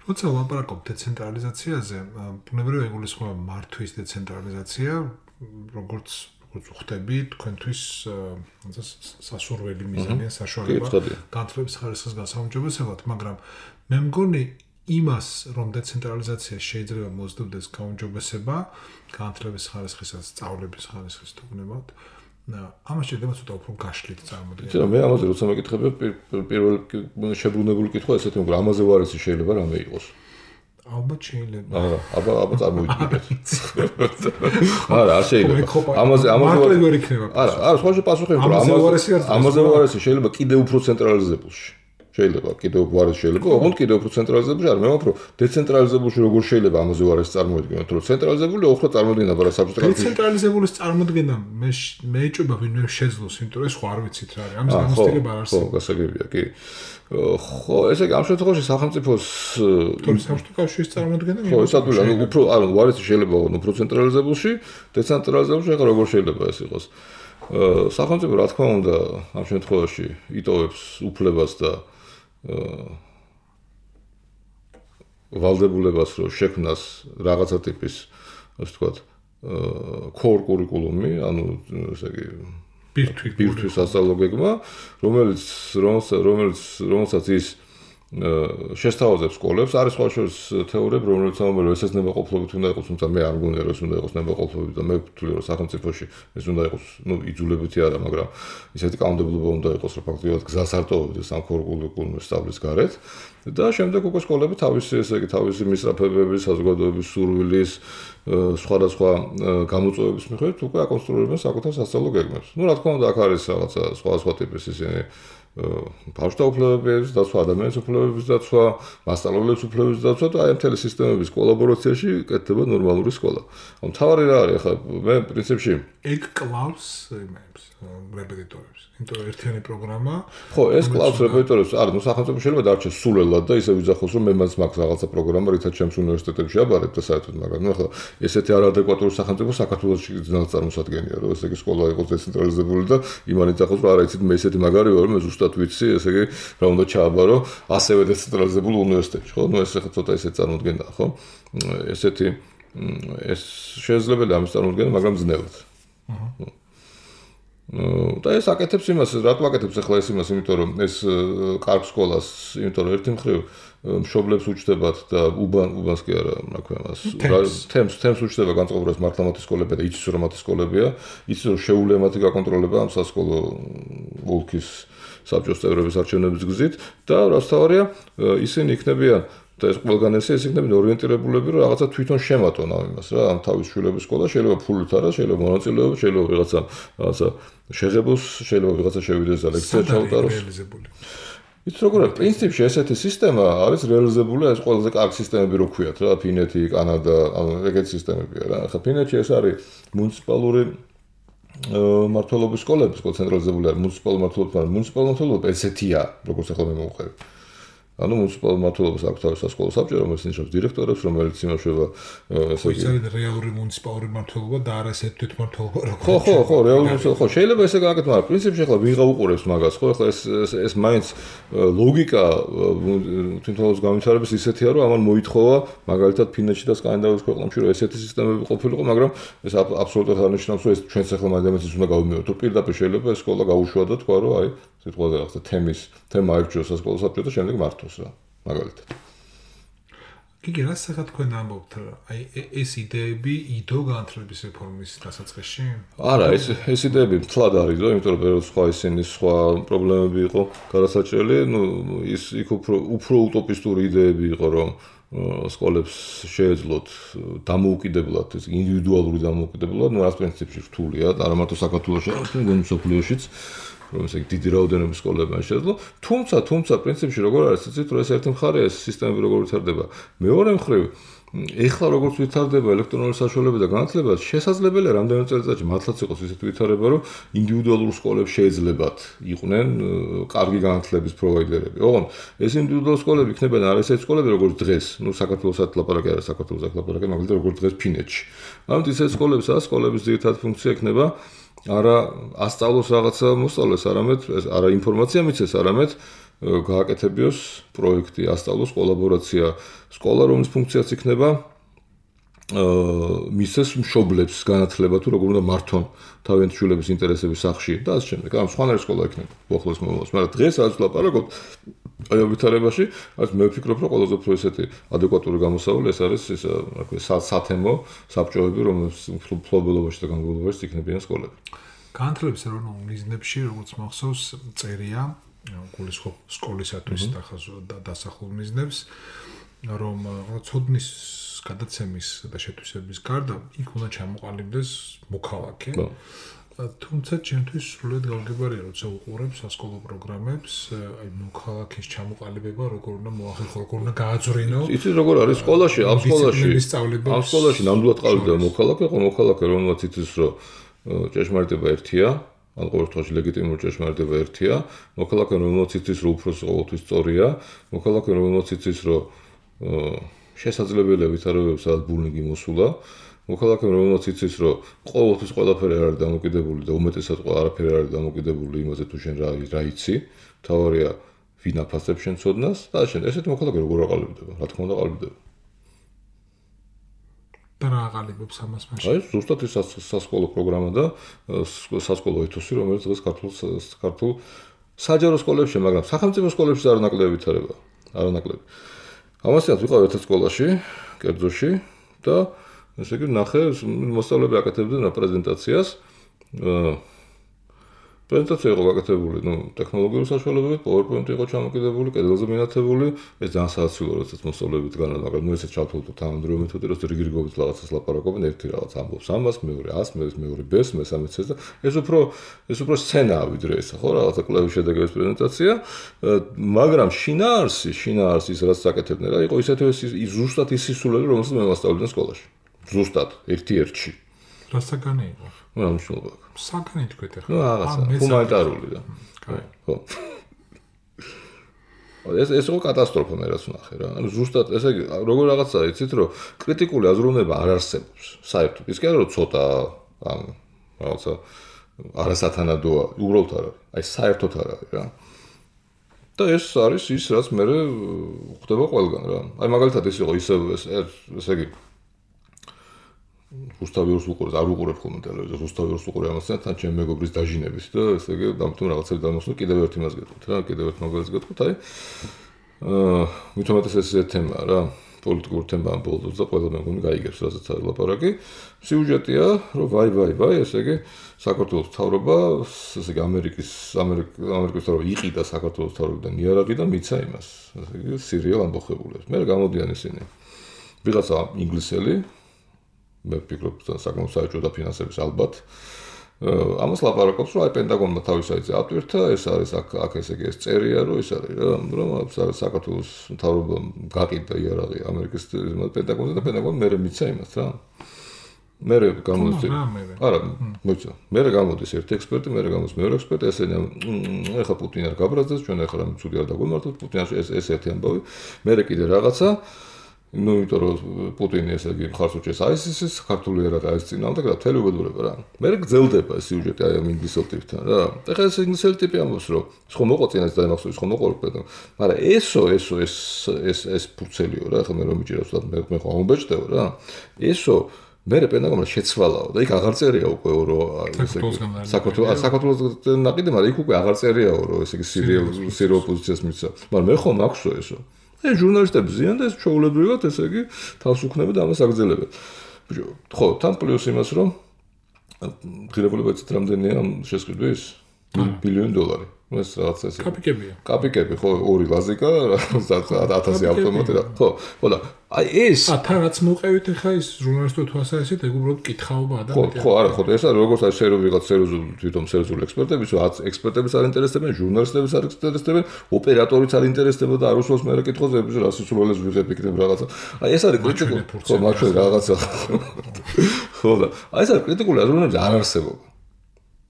როცა ვაპარაკობ დეცენტრალიზაციაზე, ბუნებრივია ეგულისხმება მართვის დეცენტრალიზაცია, როგორც როგორც ხვდები, თქვენთვის სასურველი მიზანია საშუალება განათლების ხარისხის გასაუმჯობესებლად, მაგრამ მე მგონი იმას, რომ დეცენტრალიზაცია შეიძლება მოძებნდეს გაუმჯობესება განათლების ხარისხისაც, სწავლების ხარისხის თქმებად, ამას შეიძლება ცოტა უფრო გაშლით წარმოდგენა. იცი რა, მე ამაზე როცა მეკითხები, პირველ შებრუნებული კითხვა ესეთი მოგრა, ამაზე ვარისი შეიძლება რამე იყოს. ალბათ შეიძლება. აა, აბა აბა წარმოვიდგინეთ. არა, არ შეიძლება. ამაზე ამაზე მარტივად იქნება. არა, არა, სხვა შეპასუხი იმიტომ რომ ამაზე ამაზე ვარისი შეიძლება კიდევ უფრო ცენტრალიზებულში. შეიძლება კიდევ ვარეს შეიძლება, ოღონდ კიდევ უფრო ცენტრალიზებულში არ მე ვაფრო დეცენტრალიზებულში როგორ შეიძლება ამაზე ვარეს წარმოედგინოთ, რომ ცენტრალიზებული ოხრა წარმოედგინა ბარა საბჭოთა კავშირში. დეცენტრალიზებულის წარმოდგენა მე მე ეჭვება ვინმე შეძლოს, იმიტომ რომ სხვა არ ვიცით რა არის. ამის გამოსტილება არ არსებობს. ხო, გასაგებია, კი. ხო, ესე იგი ამ შემთხვევაში სახელმწიფოს თორე საბჭოთა კავშირის წარმოდგენა ხო, ეს ადვილი, ანუ უფრო ანუ ვარესი შეიძლება უფრო ცენტრალიზებულში, დეცენტრალიზებულში ახლა როგორ შეიძლება ეს იყოს. სახელმწიფო რა თქმა უნდა ამ შემთხვევაში იტოვებს უფლებას და ვალდებულებას რომ შექმნას რაღაცა ტიპის ასე ვთქვათ core curriculum-ი, ანუ ესე იგი ბირთვი ბირთვის სასწავლო გეგმა, რომელიც რომელიც რომელსაც ის შესთავაზებს სკოლებს, არის სხვა შორის თეორიები, რომელიც ამბობენ, რომ ესეც ნებაყოფლობით უნდა იყოს, თუმცა მე არ მგონია, რომ ეს უნდა იყოს ნებაყოფლობით და მე ვთვლი, რომ სახელმწიფოში ეს უნდა იყოს, ну, იძულებითი არა, მაგრამ ისეთი კანონმდებლობა უნდა იყოს, რომ ფაქტობრივად გზას არ ტოვებდეს ამ კურიკულუმის სწავლის გარეთ და შემდეგ უკვე სკოლები თავისი, ესე იგი, თავისი მისწრაფებების, საზოგადოების სურვილის, სხვადასხვა გამოწვევების მიხედვით უკვე აკონსტრუირებენ საკუთარ სასწავლო გეგმებს. ну, რა თქმა უნდა, აქ არის რაღაცა სხვა სხვა ტიპის ისინი ბავშვთა უფლებების დაცვა, ადამიანის უფლებების დაცვა, მასწავლებლების უფლებების დაცვა და აი მთელი სისტემების კოლაბორაციაში კეთდება ნორმალური სკოლა. ანუ თავარი რა არის, ახლა მე პრინციპში ეგ კლავს იმებს, რეპეტიტორებს. იმიტომ რომ ერთიანი პროგრამა. ხო, ეს კლავს რეპეტიტორებს, არა, ну სახელმწიფო შეიძლება დარჩეს სულელად და ისე ვიძახოს, რომ მე მას მაქვს რაღაცა პროგრამა, რითაც ჩემს უნივერსიტეტებში აბარებ და საერთოდ, მაგრამ ნუ ახლა ესეთი არადეკვატური სახელმწიფო საქართველოში ძნელად წარმოსადგენია, რომ ესე იგი სკოლა იყოს დეცენტრალიზებული და იმან იძახოს, რომ არა, იცით მე ესეთი მაგარი ვარ, მე ზუსტად ვიცი, ესე იგი რა უნდა ჩააბარო ასევე დეცენტრალიზებულ უნივერსიტეტში, ხო? ნუ ეს ახლა ცოტა ისე წარმოდგენაა, ხო? ესეთი ეს შესაძლებელია ამის წარმოდგენა, მაგრამ ძნელად. აჰა. და ეს აკეთებს იმას, რატო აკეთებს ახლა ეს იმას, იმიტომ რომ ეს კარგ სკოლას, იმიტომ რომ ერთი მხრივ მშობლებს უჩნდებათ და უბან უბანს კი არა, რა ქვია მას, თემს თემს უჩნდება განწყობილებას მართლა მათი სკოლებია და იცის რომ მათი სკოლებია, იცის რომ შეუძლია მათი გაკონტროლება ამ სასკოლო ოლქის საბჭოს წევრების არჩევნების გზით და რაც თავარია, ისინი იქნებიან და ეს ყველგან ესე ეს იქნებიან ორიენტირებულები, რომ რაღაცა თვითონ შემატონ ამ იმას რა, ამ თავის შვილების სკოლა შეიძლება ფულით არა, შეიძლება მონაწილეობა, შეიძლება ვიღაცა რაღაცა შეღებოს, შეიძლება ვიღაცა შევიდეს და ლექცია ჩაუტაროს. იცით როგორ არის, პრინციპში ესეთი სისტემა არის რეალიზებული, ეს ყველაზე კარგი სისტემები რო ქვიათ რა, ფინეთი, კანადა, ანუ ეგეთი სისტემებია რა. ახლა ფინეთში ეს არის მუნიციპალური მმართველობის სკოლები, სკოლა ცენტრალიზებული არის მუნიციპალური მმართველობა, მუნიციპალური მმართველობა ესეთია, როგორც ახლა მე მოვუყევი. ანუ მუნიციპალურ მმართველობას აქვს თავის სასკოლო საბჭო, რომელიც ნიშნავს დირექტორებს, რომელიც იმუშავა ესე იგი. ხო, რეალური მუნიციპალური მმართველობა და არა ესე თვითმმართველობა როგორ. ხო, ხო, ხო, რეალური ხო, შეიძლება ესე გააკეთოს, მაგრამ პრინციპში ახლა ვიღა უყურებს მაგას, ხო, ახლა ეს ეს მაინც ლოგიკა თვითმმართველობის განვითარების ისეთია, რომ ამან მოითხოვა მაგალითად ფინეთში და სკანდინავიის ქვეყნებში, რომ ესეთი სისტემები ყოფილიყო, მაგრამ ეს აბსოლუტურად არ ნიშნავს, რომ ეს ჩვენს ახლა მაგალითად უნდა გავიმეოროთ. თუ პირდაპირ შეიძლება ეს სკოლა გაუშვა და თქვა, რომ აი სიტყვაზე რაღაცა თემის თემა აირჩიოს სასკოლო საბჭო და შემდეგ მართოს რა მაგალითად. კი, რა სახა თქვენ ამბობთ, აი ეს იდეები იდო განათლების რეფორმის დასაწყისში? არა, ეს ეს იდეები მთლად არის, იმიტომ რომ ბევრი სხვა ისინი სხვა პრობლემები იყო გადასაჭრელი, ну ის იქ უფრო უფრო უტოპისტური იდეები იყო, რომ სკოლებს შეეძლოთ დამოუკიდებლად, ეს ინდივიდუალური დამოუკიდებლად, ну, რას პრინციპში რთულია, არა მარტო საქართველოში, არამედ მსოფლიოშიც, რომ ესე დიდი რაოდენობის სკოლებმა შეეძლო. თუმცა, თუმცა პრინციპში როგორ არის, იცით, რომ ეს ერთი მხარეა, ეს სისტემები როგორ ვითარდება. მეორე მხრივ, ეხლა როგორც ვითარდება ელექტრონული საშუალებები და განათლება, შესაძლებელია რამდენიმე წელიწადში მართლაც იყოს ისეთი ვითარება, რომ ინდივიდუალურ სკოლებს შეეძლებათ იყვნენ კარგი განათლების პროვაიდერები. ოღონდ ეს ინდივიდუალური სკოლები იქნებიან არ ესეთი სკოლები, როგორც დღეს, ну, საქართველოსაც ლაპარაკი არა, საქართველოს ლაპარაკი, მაგალითად როგორც დღეს ფინეთში. ამით ისეთი სკოლებსა, სკოლების ძირითადი ფუნქცია იქნება არა ასწავლოს რაღაცა მოსწავლეს, არამედ არა ინფორმაცია მიცეს, არამედ გააკეთებიოს პროექტი, ასწავლოს კოლაბორაცია, სკოლა რომლის ფუნქციაც იქნება მისცეს მშობლებს განათლება თუ როგორ უნდა მართონ თავიანთი შვილების ინტერესების სახში და ასე შემდეგ. ამ სხვანაირი სკოლა იქნება უახლოეს მომავალში, მაგრამ დღეს რაც ვლაპარაკობ აი ვითარებაში, რაც მე ვფიქრობ, რომ ყველაზე უფრო ესეთი ადეკვატური გამოსავალი ეს არის ეს რა ქვია სათემო საბჭოები, რომელს ფლობელობაში და განმავლობაში იქნებიან სკოლები. განათლების ეროვნულ მიზნებში, როგორც მახსოვს, წერია გულისხმობ სკოლისათვის და დასახულ მიზნებს, რომ ცოდნის გადაცემის და შეთვისების გარდა იქ უნდა ჩამოყალიბდეს მოქალაქე. თუმცა ჩემთვის სრულად გავგებარია, როცა უყურებ სასკოლო პროგრამებს, აი მოქალაქის ჩამოყალიბება როგორ უნდა მოახერხო, როგორ უნდა გააძვრინო. იცით როგორ არის სკოლაში, ამ სკოლაში, ამ სკოლაში ნამდვილად ყალიბდება მოქალაქე, ხო მოქალაქე რომელმაც იცის, რომ ჭეშმარიტება ერთია, ან ყოველ შემთხვევაში ლეგიტიმური ჭეშმარიტება ერთია, მოქალაქე რომელმაც იცის, რომ უფროსი ყოველთვის სწორია, მოქალაქე რომელმაც იცის, რომ შესაძლებელია ვითარებებს სადაც ბულინგი მოსულა, მოქალაქე რომელმაც იცის, რომ ყოველთვის ყველაფერი არ არის დამოკიდებული და უმეტესად ყველაფერი არ არის დამოკიდებული იმაზე თუ შენ რა რა იცი, თავარია ვინ აფასებს შენ ცოდნას და შენ ესეთი მოქალაქე როგორ აყალიბდება, რა თქმა უნდა აყალიბდება. და რა აყალიბებს ამას მაშინ? აი, ზუსტად ეს სასკოლო პროგრამა და სასკოლო ეთოსი, რომელიც დღეს ქართულ ქართულ საჯარო სკოლებში, მაგრამ სახელმწიფო სკოლებში არ ნაკლები ვითარება, არ ნაკლები. ამასაც ვიყავ ერთ სკოლაში, კერძოში და ესე იგი ნახე, მოსწავლეები აკეთებდნენ პრეზენტაციას. პრეზენტაცია იყო გაკეთებული, ну, ტექნოლოგიური საშუალებები, PowerPoint იყო ჩამოკიდებული, კედელზე მინათებული, ეს ძალიან საოცრია, როდესაც მოსწავლეები დგანან, მაგრამ ნუ ესეც ჩავთვალოთ თანამედროვე მეთოდი, რომ რიგ-რიგობით რაღაცას ლაპარაკობენ, ერთი რაღაც ამბობს ამას, მეორე ას, მეორე ბეს, მესამე ცეს და ეს უფრო ეს უფრო სცენაა ვიდრე ესა, ხო, რაღაცა კლავის შედეგების პრეზენტაცია, მაგრამ შინაარსი, შინაარსი ის რაც აკეთებდნენ, რა იყო ისეთი ის ზუსტად ის სისულელი, რომელსაც მე მასწავლდნენ სკოლაში. ზუსტად ერთ-ერთში. რა საგანი იყო? რა მნიშვნელობა აქვს? საგანი თქვით ახლა. ნუ რაღაცა ჰუმანიტარული და. ხო. ეს ეს იყო კატასტროფა მე რაც ვნახე რა. ანუ ზუსტად ესე იგი როგორ რაღაცაა, იცით რომ კრიტიკული აზროვნება არ არსებობს. საერთოდ. ის კი არა რომ ცოტა ან რაღაცა არასათანადოა, უბრალოდ არ არის. აი საერთოდ არ არის რა. და ეს არის ის რაც მე ხდება ყველგან რა. აი მაგალითად ეს იყო ისე ესე იგი რუსთავიურს უყურებ, არ უყურებ ხოლმე ტელევიზორს, რუსთავიურს უყურებ ამასთან თან ჩემი მეგობრის დაჟინების და ესე იგი დამთომ რაღაცები დამოსნო, კიდევ ერთი მას გეტყვით რა, კიდევ ერთ მაგალითს გეტყვით, აი აა მithometes ეს ეს თემაა რა, პოლიტიკური თემა ამ ბოლოს და ყველა მე მგონი გაიგებს, რასაც არის ლაპარაკი. სიუჟეტია, რომ ვაი ვაი ვაი, ესე იგი საქართველოს მთავრობა, ესე იგი ამერიკის ამერიკის მთავრობა იყიდა საქართველოს მთავრობიდან იარაღი და მიცა იმას, ესე იგი სირიელ ამბოხებულებს. მე გამოდიან ისინი. ვიღაცა ინგლისელი მე ვფიქრობ, საკმაოდ საერთო და ფინანსების ალბათ. ამას ლაპარაკობს, რომ აი პენტაგონმა თავის საიტზე ატვირთა, ეს არის აქ აქ ესე იგი ეს წერია, რომ ეს არის რა, რომ საქართველოს მთავრობამ გაყიდა იარაღი ამერიკის პენტაგონზე და პენტაგონი მერე მიცა იმას რა. მერე გამოდის. არა, მოიცა. მერე გამოდის ერთი ექსპერტი, მერე გამოდის მეორე ექსპერტი, ესენი ეხა პუტინი არ გაბრაზდეს, ჩვენ ეხლა რამე ცუდი არ დაგვემართოთ, პუტინს ეს ეს ერთი ამბავი. მერე კიდე რაღაცა ну, იმიტომ რომ პუტინი ესე იგი ხარს უჭერს აი ეს საქართველოს ერა და ეს წინააღმდეგ და მთელი უბედურება რა. მე გძელდება ეს სიუჟეტი აი ამ ინგლისელ ტიპთან რა. ეხლა ეს ინგლისელ ტიპი ამბობს რომ ხო მოყოწინეს და იმახსოვს ხო მოყოლებ, მაგრამ ესო ესო ეს ეს ეს ფურცელიო რა. ეხლა მე რომ მიჭირავს და მე ხო ამბეჭდეო რა. ესო მე პენტაგონმა შეცვალაო და იქ აღარ წერია უკვე რომ ესე იგი საქართველოს საქართველოს ნაყიდი, მაგრამ იქ უკვე აღარ წერიაო რომ ესე იგი სირიელ სირიელ პოზიციას მიცა. მაგრამ მე ხო მაქვსო ესო. ეს ჟურნალისტები ზიან და ეს ჩაულებრივად ესე იგი თავს უქნები და ამას აგრძელებენ. ხო, თან პლუს იმას რომ ღირებულება იცით რამდენია ამ შესყიდვის? ბილიონი დოლარი. ეს რაღაც ესე. კაპიკებია. კაპიკები, ხო, ორი ლაზიკა, ათასი ავტომატი რა. ხო, ხო და აი ეს ა თან რაც მოყევით ახლა ის ჟურნალისტური თვალსაზრისით ეგ უბრალოდ კითხაობა ადამიანს. ხო, ხო, არა, ხო, ეს არის როგორც აი სერვი ვიღაც სერიოზული თვითონ სერიოზული ექსპერტების, რაც ექსპერტების არ ინტერესდებიან, ჟურნალისტების არ ინტერესდებიან, ოპერატორიც არ ინტერესდება და არ უსვამს მე კითხვაზე, რას სულელეს ვიღებ იქნებ რაღაცა. აი ეს არის კრიტიკული, ხო, მაჩვენ რაღაცა. ხო და აი ეს არის კრიტიკული აზროვნების არ არსებობა.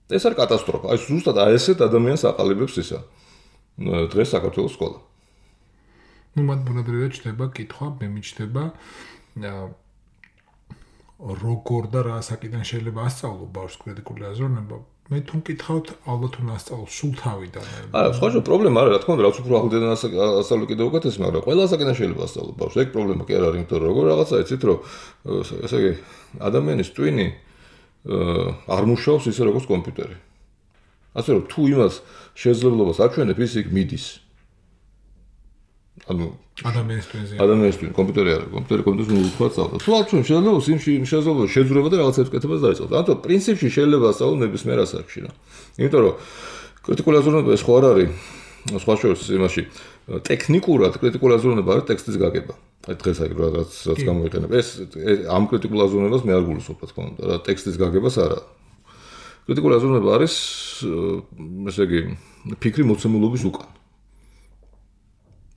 ეს არის კატასტროფა. აი ზუსტად აი ესეთ ადამიანს აყალიბებს ისა. დღეს საქართველოს სკოლა. ну მათ ბუნებრივად ჩდება კითხვა, მე მიჩნდება როგორ და რა საკიდან შეიძლება ასწავლო ბავშვს კრიტიკული აზროვნება. მე თუ მკითხავთ, ალბათ უნდა ასწავლო სულ თავიდან. არა, სხვა შე პრობლემა არა, რა თქმა უნდა, რაც უფრო ახლდან ასწავლო კიდევ უკეთესი, მაგრამ ყველა საკიდან შეიძლება ასწავლო ბავშვს. ეგ პრობლემა კი არ არის, იმიტომ რომ როგორ რაღაცა იცით, რომ ესე იგი ადამიანის ტვინი არ მუშაობს ისე როგორც კომპიუტერი. ასე რომ თუ იმას შესაძლებლობას აჩვენებ, ის იქ მიდის. ანუ ადამიანის ტვინზე. ადამიანის ტვინი კომპიუტერი არის, კომპიუტერი კომპიუტერს მოუხდა სწავლა. თუ აჩვენ შესაძლებლობას, იმ შესაძლებლობას შეძრება და რაღაცებს კეთებას დაიწყოს. ანუ პრინციპში შეიძლება ასწავლო ნებისმიერ ასაკში რა. იმიტომ რომ კრიტიკული აზროვნება ეს ხო არ არის სხვა შორის იმაში ტექნიკურად კრიტიკული აზროვნება არის ტექსტის გაგება. აი დღეს აი რაც რაც გამოიყენება. ეს ამ კრიტიკულ აზროვნებას მე არ გულისხმობ, რა თქმა უნდა, რა ტექსტის გაგებას არა. კრიტიკული აზროვნება არის ესე იგი ფიქრი მოცემულობის უკან.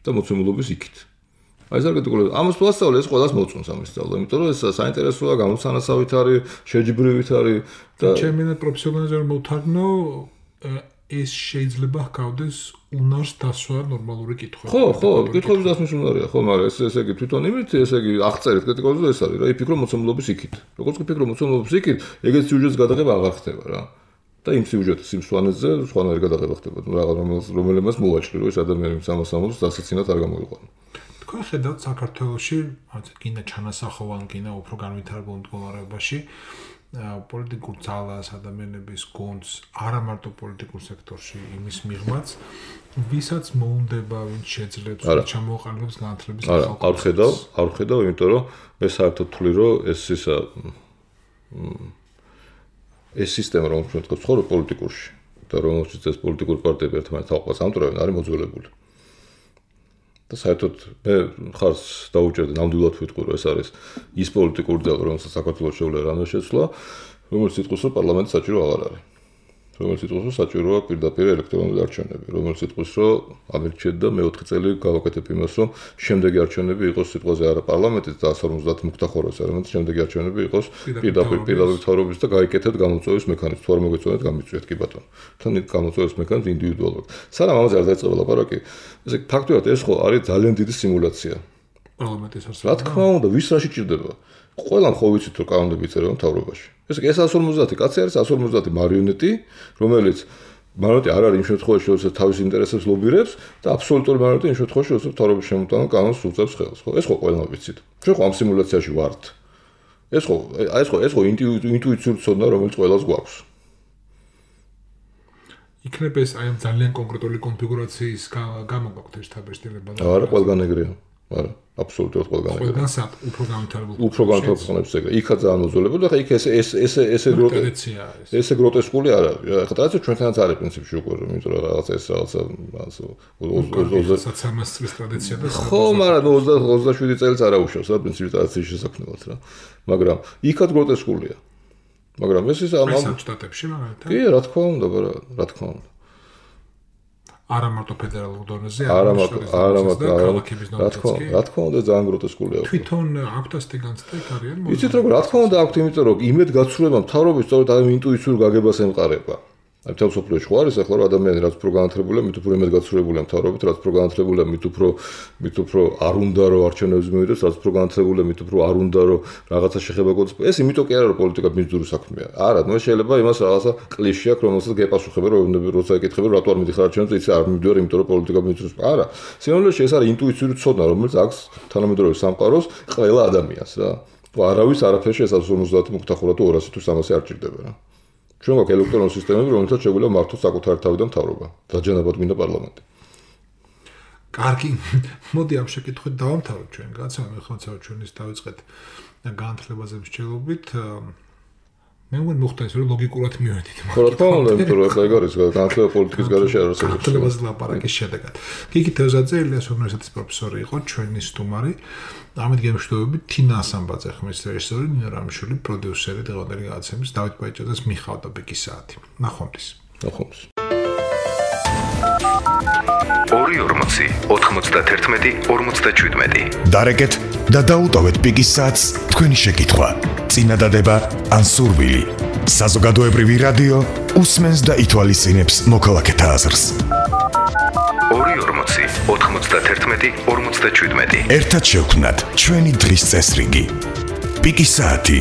და მოცემულობის იქით. აი ეს არ კრიტიკული ამას თუ ასწავლე, ეს ყველას მოწონს ამის სწავლა, იმიტომ რომ ეს საინტერესოა, გამოცანასავით არის, შეჯიბრივით არის და ჩემი პროფესიონალიზმი მოვთარგმნო ეს შეიძლება ჰგავდეს უნარს დასვა ნორმალური კითხვები. ხო, ხო, კითხვების დასმის უნარია, ხო, მაგრამ ეს ესე იგი თვითონ იმით, ესე იგი აღწერეთ კრიტიკულზე ეს არის რა, იფიქრო მოცემულობის იქით. როგორც კი ფიქრო მოცემულობის იქით, ეგეც სიუჟეტის გადაღება აღარ ხდება რა. და იმ სიუჟეტის იმ სვანეთზე სხვანაირი გადაღება ხდება. ნუ რაღაც რომელმაც მოვაჭრი, რომ ეს ადამიანი ამას ამბობს, დასაცინად არ გამოიყვანო. თქვენ ხედავთ საქართველოში, გინდა ჩანასახოვან, გინდა უფრო განვითარებულ მდგომარეობაში პოლიტიკურ ძალას, ადამიანების გონს, არა მარტო პოლიტიკურ სექტორში, იმის მიღმაც, ვისაც მოუნდება, ვინც შეძლებს, ჩამოყალიბებს განათლების ხალხს. არ ხედავ, არ ხედავ, იმიტომ რომ მე საერთოდ თვლი, რომ ეს ისა ეს სისტემა, რომელიც მეტყობს ხოლმე პოლიტიკურში და რომელშიც ეს პოლიტიკური პარტიები ერთმანეთს თავყას ამტვრევენ, არის მოძველებული. და საერთოდ მე ხარს დაუჭერდი ნამდვილად ვიტყვი, რომ ეს არის ის პოლიტიკური ძალა, რომელსაც საქართველოს შეუძლია რამე შეცვლა, რომელიც იტყვის, რომ პარლამენტი საჭირო აღარ არის. რომელიც იტყვის, რომ საჭიროა პირდაპირ ელექტრონული არჩევნები, რომელიც იტყვის, რომ ამერჩეთ და მეოთხე წელი გავაკეთებ იმას, რომ შემდეგი არჩევნები იყოს სიტყვაზე არა პარლამენტის და εκατს ორმოცდაათი მუქთახოროს, არამედ შემდეგი არჩევნები იყოს პირდაპირ პირდაპირ მთავრობის და გაიკეთეთ გამოწვევის მექანიზმი. თუ არ მოგეწონათ, გამიწვიეთ კი ბატონო. თან გამოწვევის მექანიზმი ინდივიდუალურად. სანამ ამაზე არ დაიწყება ლაპარაკი, ესე ფაქტობრივად ეს ხო არის ძალიან დიდი სიმულაცია. პარლამენტის არსებობა. რა თქმა უნდა, ვის რაში ჭირდება? ყველამ ხო ვიცით, რომ კანონები იწერება მთავრობაში. ეს εκατს ორმოცდაათი კაცი არის εκατს ორმოცდაათი მარიონეტი, რომელიც მარიონეტი არ არის იმ შემთხვევაში, როდესაც თავის ინტერესებს ლობირებს და აბსოლუტური მარიონეტი იმ შემთხვევაში, როდესაც მთავრობის შემოტანა კანონს უწევს ხელს, ხო? ეს ხო ყველამ ვიცით. ჩვენ ხო ამ სიმულაციაში ვართ. ეს ხო, ეს ხო, ეს ხო ინტუიციური ცოდნა, რომელიც ყველას გვაქვს. იქნება ეს აი ამ ძალიან კონკრეტული კონფიგურაციის გამო გაქვთ ეს თაბეჭდილება და არა, ყველგან ეგრეა. არა, აბსოლუტურად ყველგან ეგრეა. ყველგან სად უფრო განვითარებულ. უფრო განვითარებულებს ეგრე. იქა ძალიან მოძველებული და ხა იქ ეს ეს ეს ესე ტრადიცია არის. ესე გროტესკული არ არის. ხა ტრადიცია ჩვენთანაც არის პრინციპში უკვე, იმიტომ რომ რაღაც ეს რაღაცა ოცდაათი წლის ტრადიცია და ხო, მაგრამ ოცდაშვიდი წელს არ აუშავს რა პრინციპი ტრადიციის შესაქმნელად რა. მაგრამ იქაც გროტესკულია. მაგრამ ეს ის ამ შტატებში მაგალითად. კი, რა თქმა უნდა, რა თქმა უნდა. არა მარტო ფედერალურ დონეზე, არა მარტო, არა მარტო, რა თქმა უნდა, რა თქმა უნდა, ძალიან გროტესკულია. თვითონ აქვთ ასეთი განცდა იქ არიან? იცით როგორ, რა თქმა უნდა, აქვთ, იმიტომ რომ იმედ გაცრუება მთავრობის სწორედ ამ ინტუიციურ გაგებას ემყარება. აი თელ სოფლიოში ხო არის ახლა რომ ადამიანი რაც უფრო განათლებულია, მით უფრო იმედ გაცრუებულია მთავრობით, რაც უფრო განათლებულია, მით უფრო მით უფრო არ უნდა რომ არჩევნებს მივიდეს, რაც უფრო განათლებულია, მით უფრო არ უნდა რომ რაღაცა შეხება გქონდეს. ეს იმიტომ კი არა რომ პოლიტიკა ბიზნესური საქმეა. არა, ნუ შეიძლება იმას რაღაცა კლიშე აქვს, რომელსაც გეპასუხება, რომ როცა ეკითხება, რატო არ მიდიხარ არჩევნებს, იცი არ მივდივარ, იმიტომ რომ პოლიტიკა ბიზნესური. არა, სინამდვილეში ეს არის ინტუიციური ცოდნა, რომელიც აქვს თანამედროვე სამყაროს ყველა ადამიანს რა. არავის არაფერში ეს εκατს ორმოცდაათი მუქთახურა თუ ორასი თუ სამასი არ ჭირდება რა. ჩვენ გვაქვს ელექტრონული სისტემები, რომელთაც შეგვიძლია მართოს საკუთარი თავი და მთავრობა. დაჯანებად მინდა პარლამენტი. კარგი, მოდი ამ შეკითხვით დავამთავროთ ჩვენ. გაცნობ, ხოცა ჩვენ ის დავიწყეთ განათლებაზე მსჯელობით. მე მგონი მოხდა ეს რომ ლოგიკურად მივედით. ხო რა თქმა უნდა, იმიტომ რომ ეგ არის განათლება პოლიტიკის გარეშე არ არსებობს. განათლებას ლაპარაკის შედეგად. გიგი თევზაძე ილიას უნივერსიტეტის პროფესორი იყო, ჩვენი სტუმარი. ამით გემშვიდობებით თინა ასამბაძე ხმის რეჟისორი, ნინო რამიშვილი პროდიუსერი დღევანდელი გადაცემის, დავით ბაიჭაძეს მიხავდა ბიკის საათი. ნახვამდის. ნახვამდის. ორი ორმოცი ოთხმოცდაათი ორმოცდაშვიდმეტი დარეკეთ და დაუტოვეთ ბიკის საათს თქვენი შეკითხვა, წინადადება ან სურვილი. საზოგადოებრივი რადიო უსმენს და ითვალისწინებს მოქალაქეთა აზრს. ორი ორმოცი ოთხმოცდაათი ორმოცდაშვიდმეტი ერთად შევქმნათ ჩვენი დღის წესრიგი. ბიკის საათი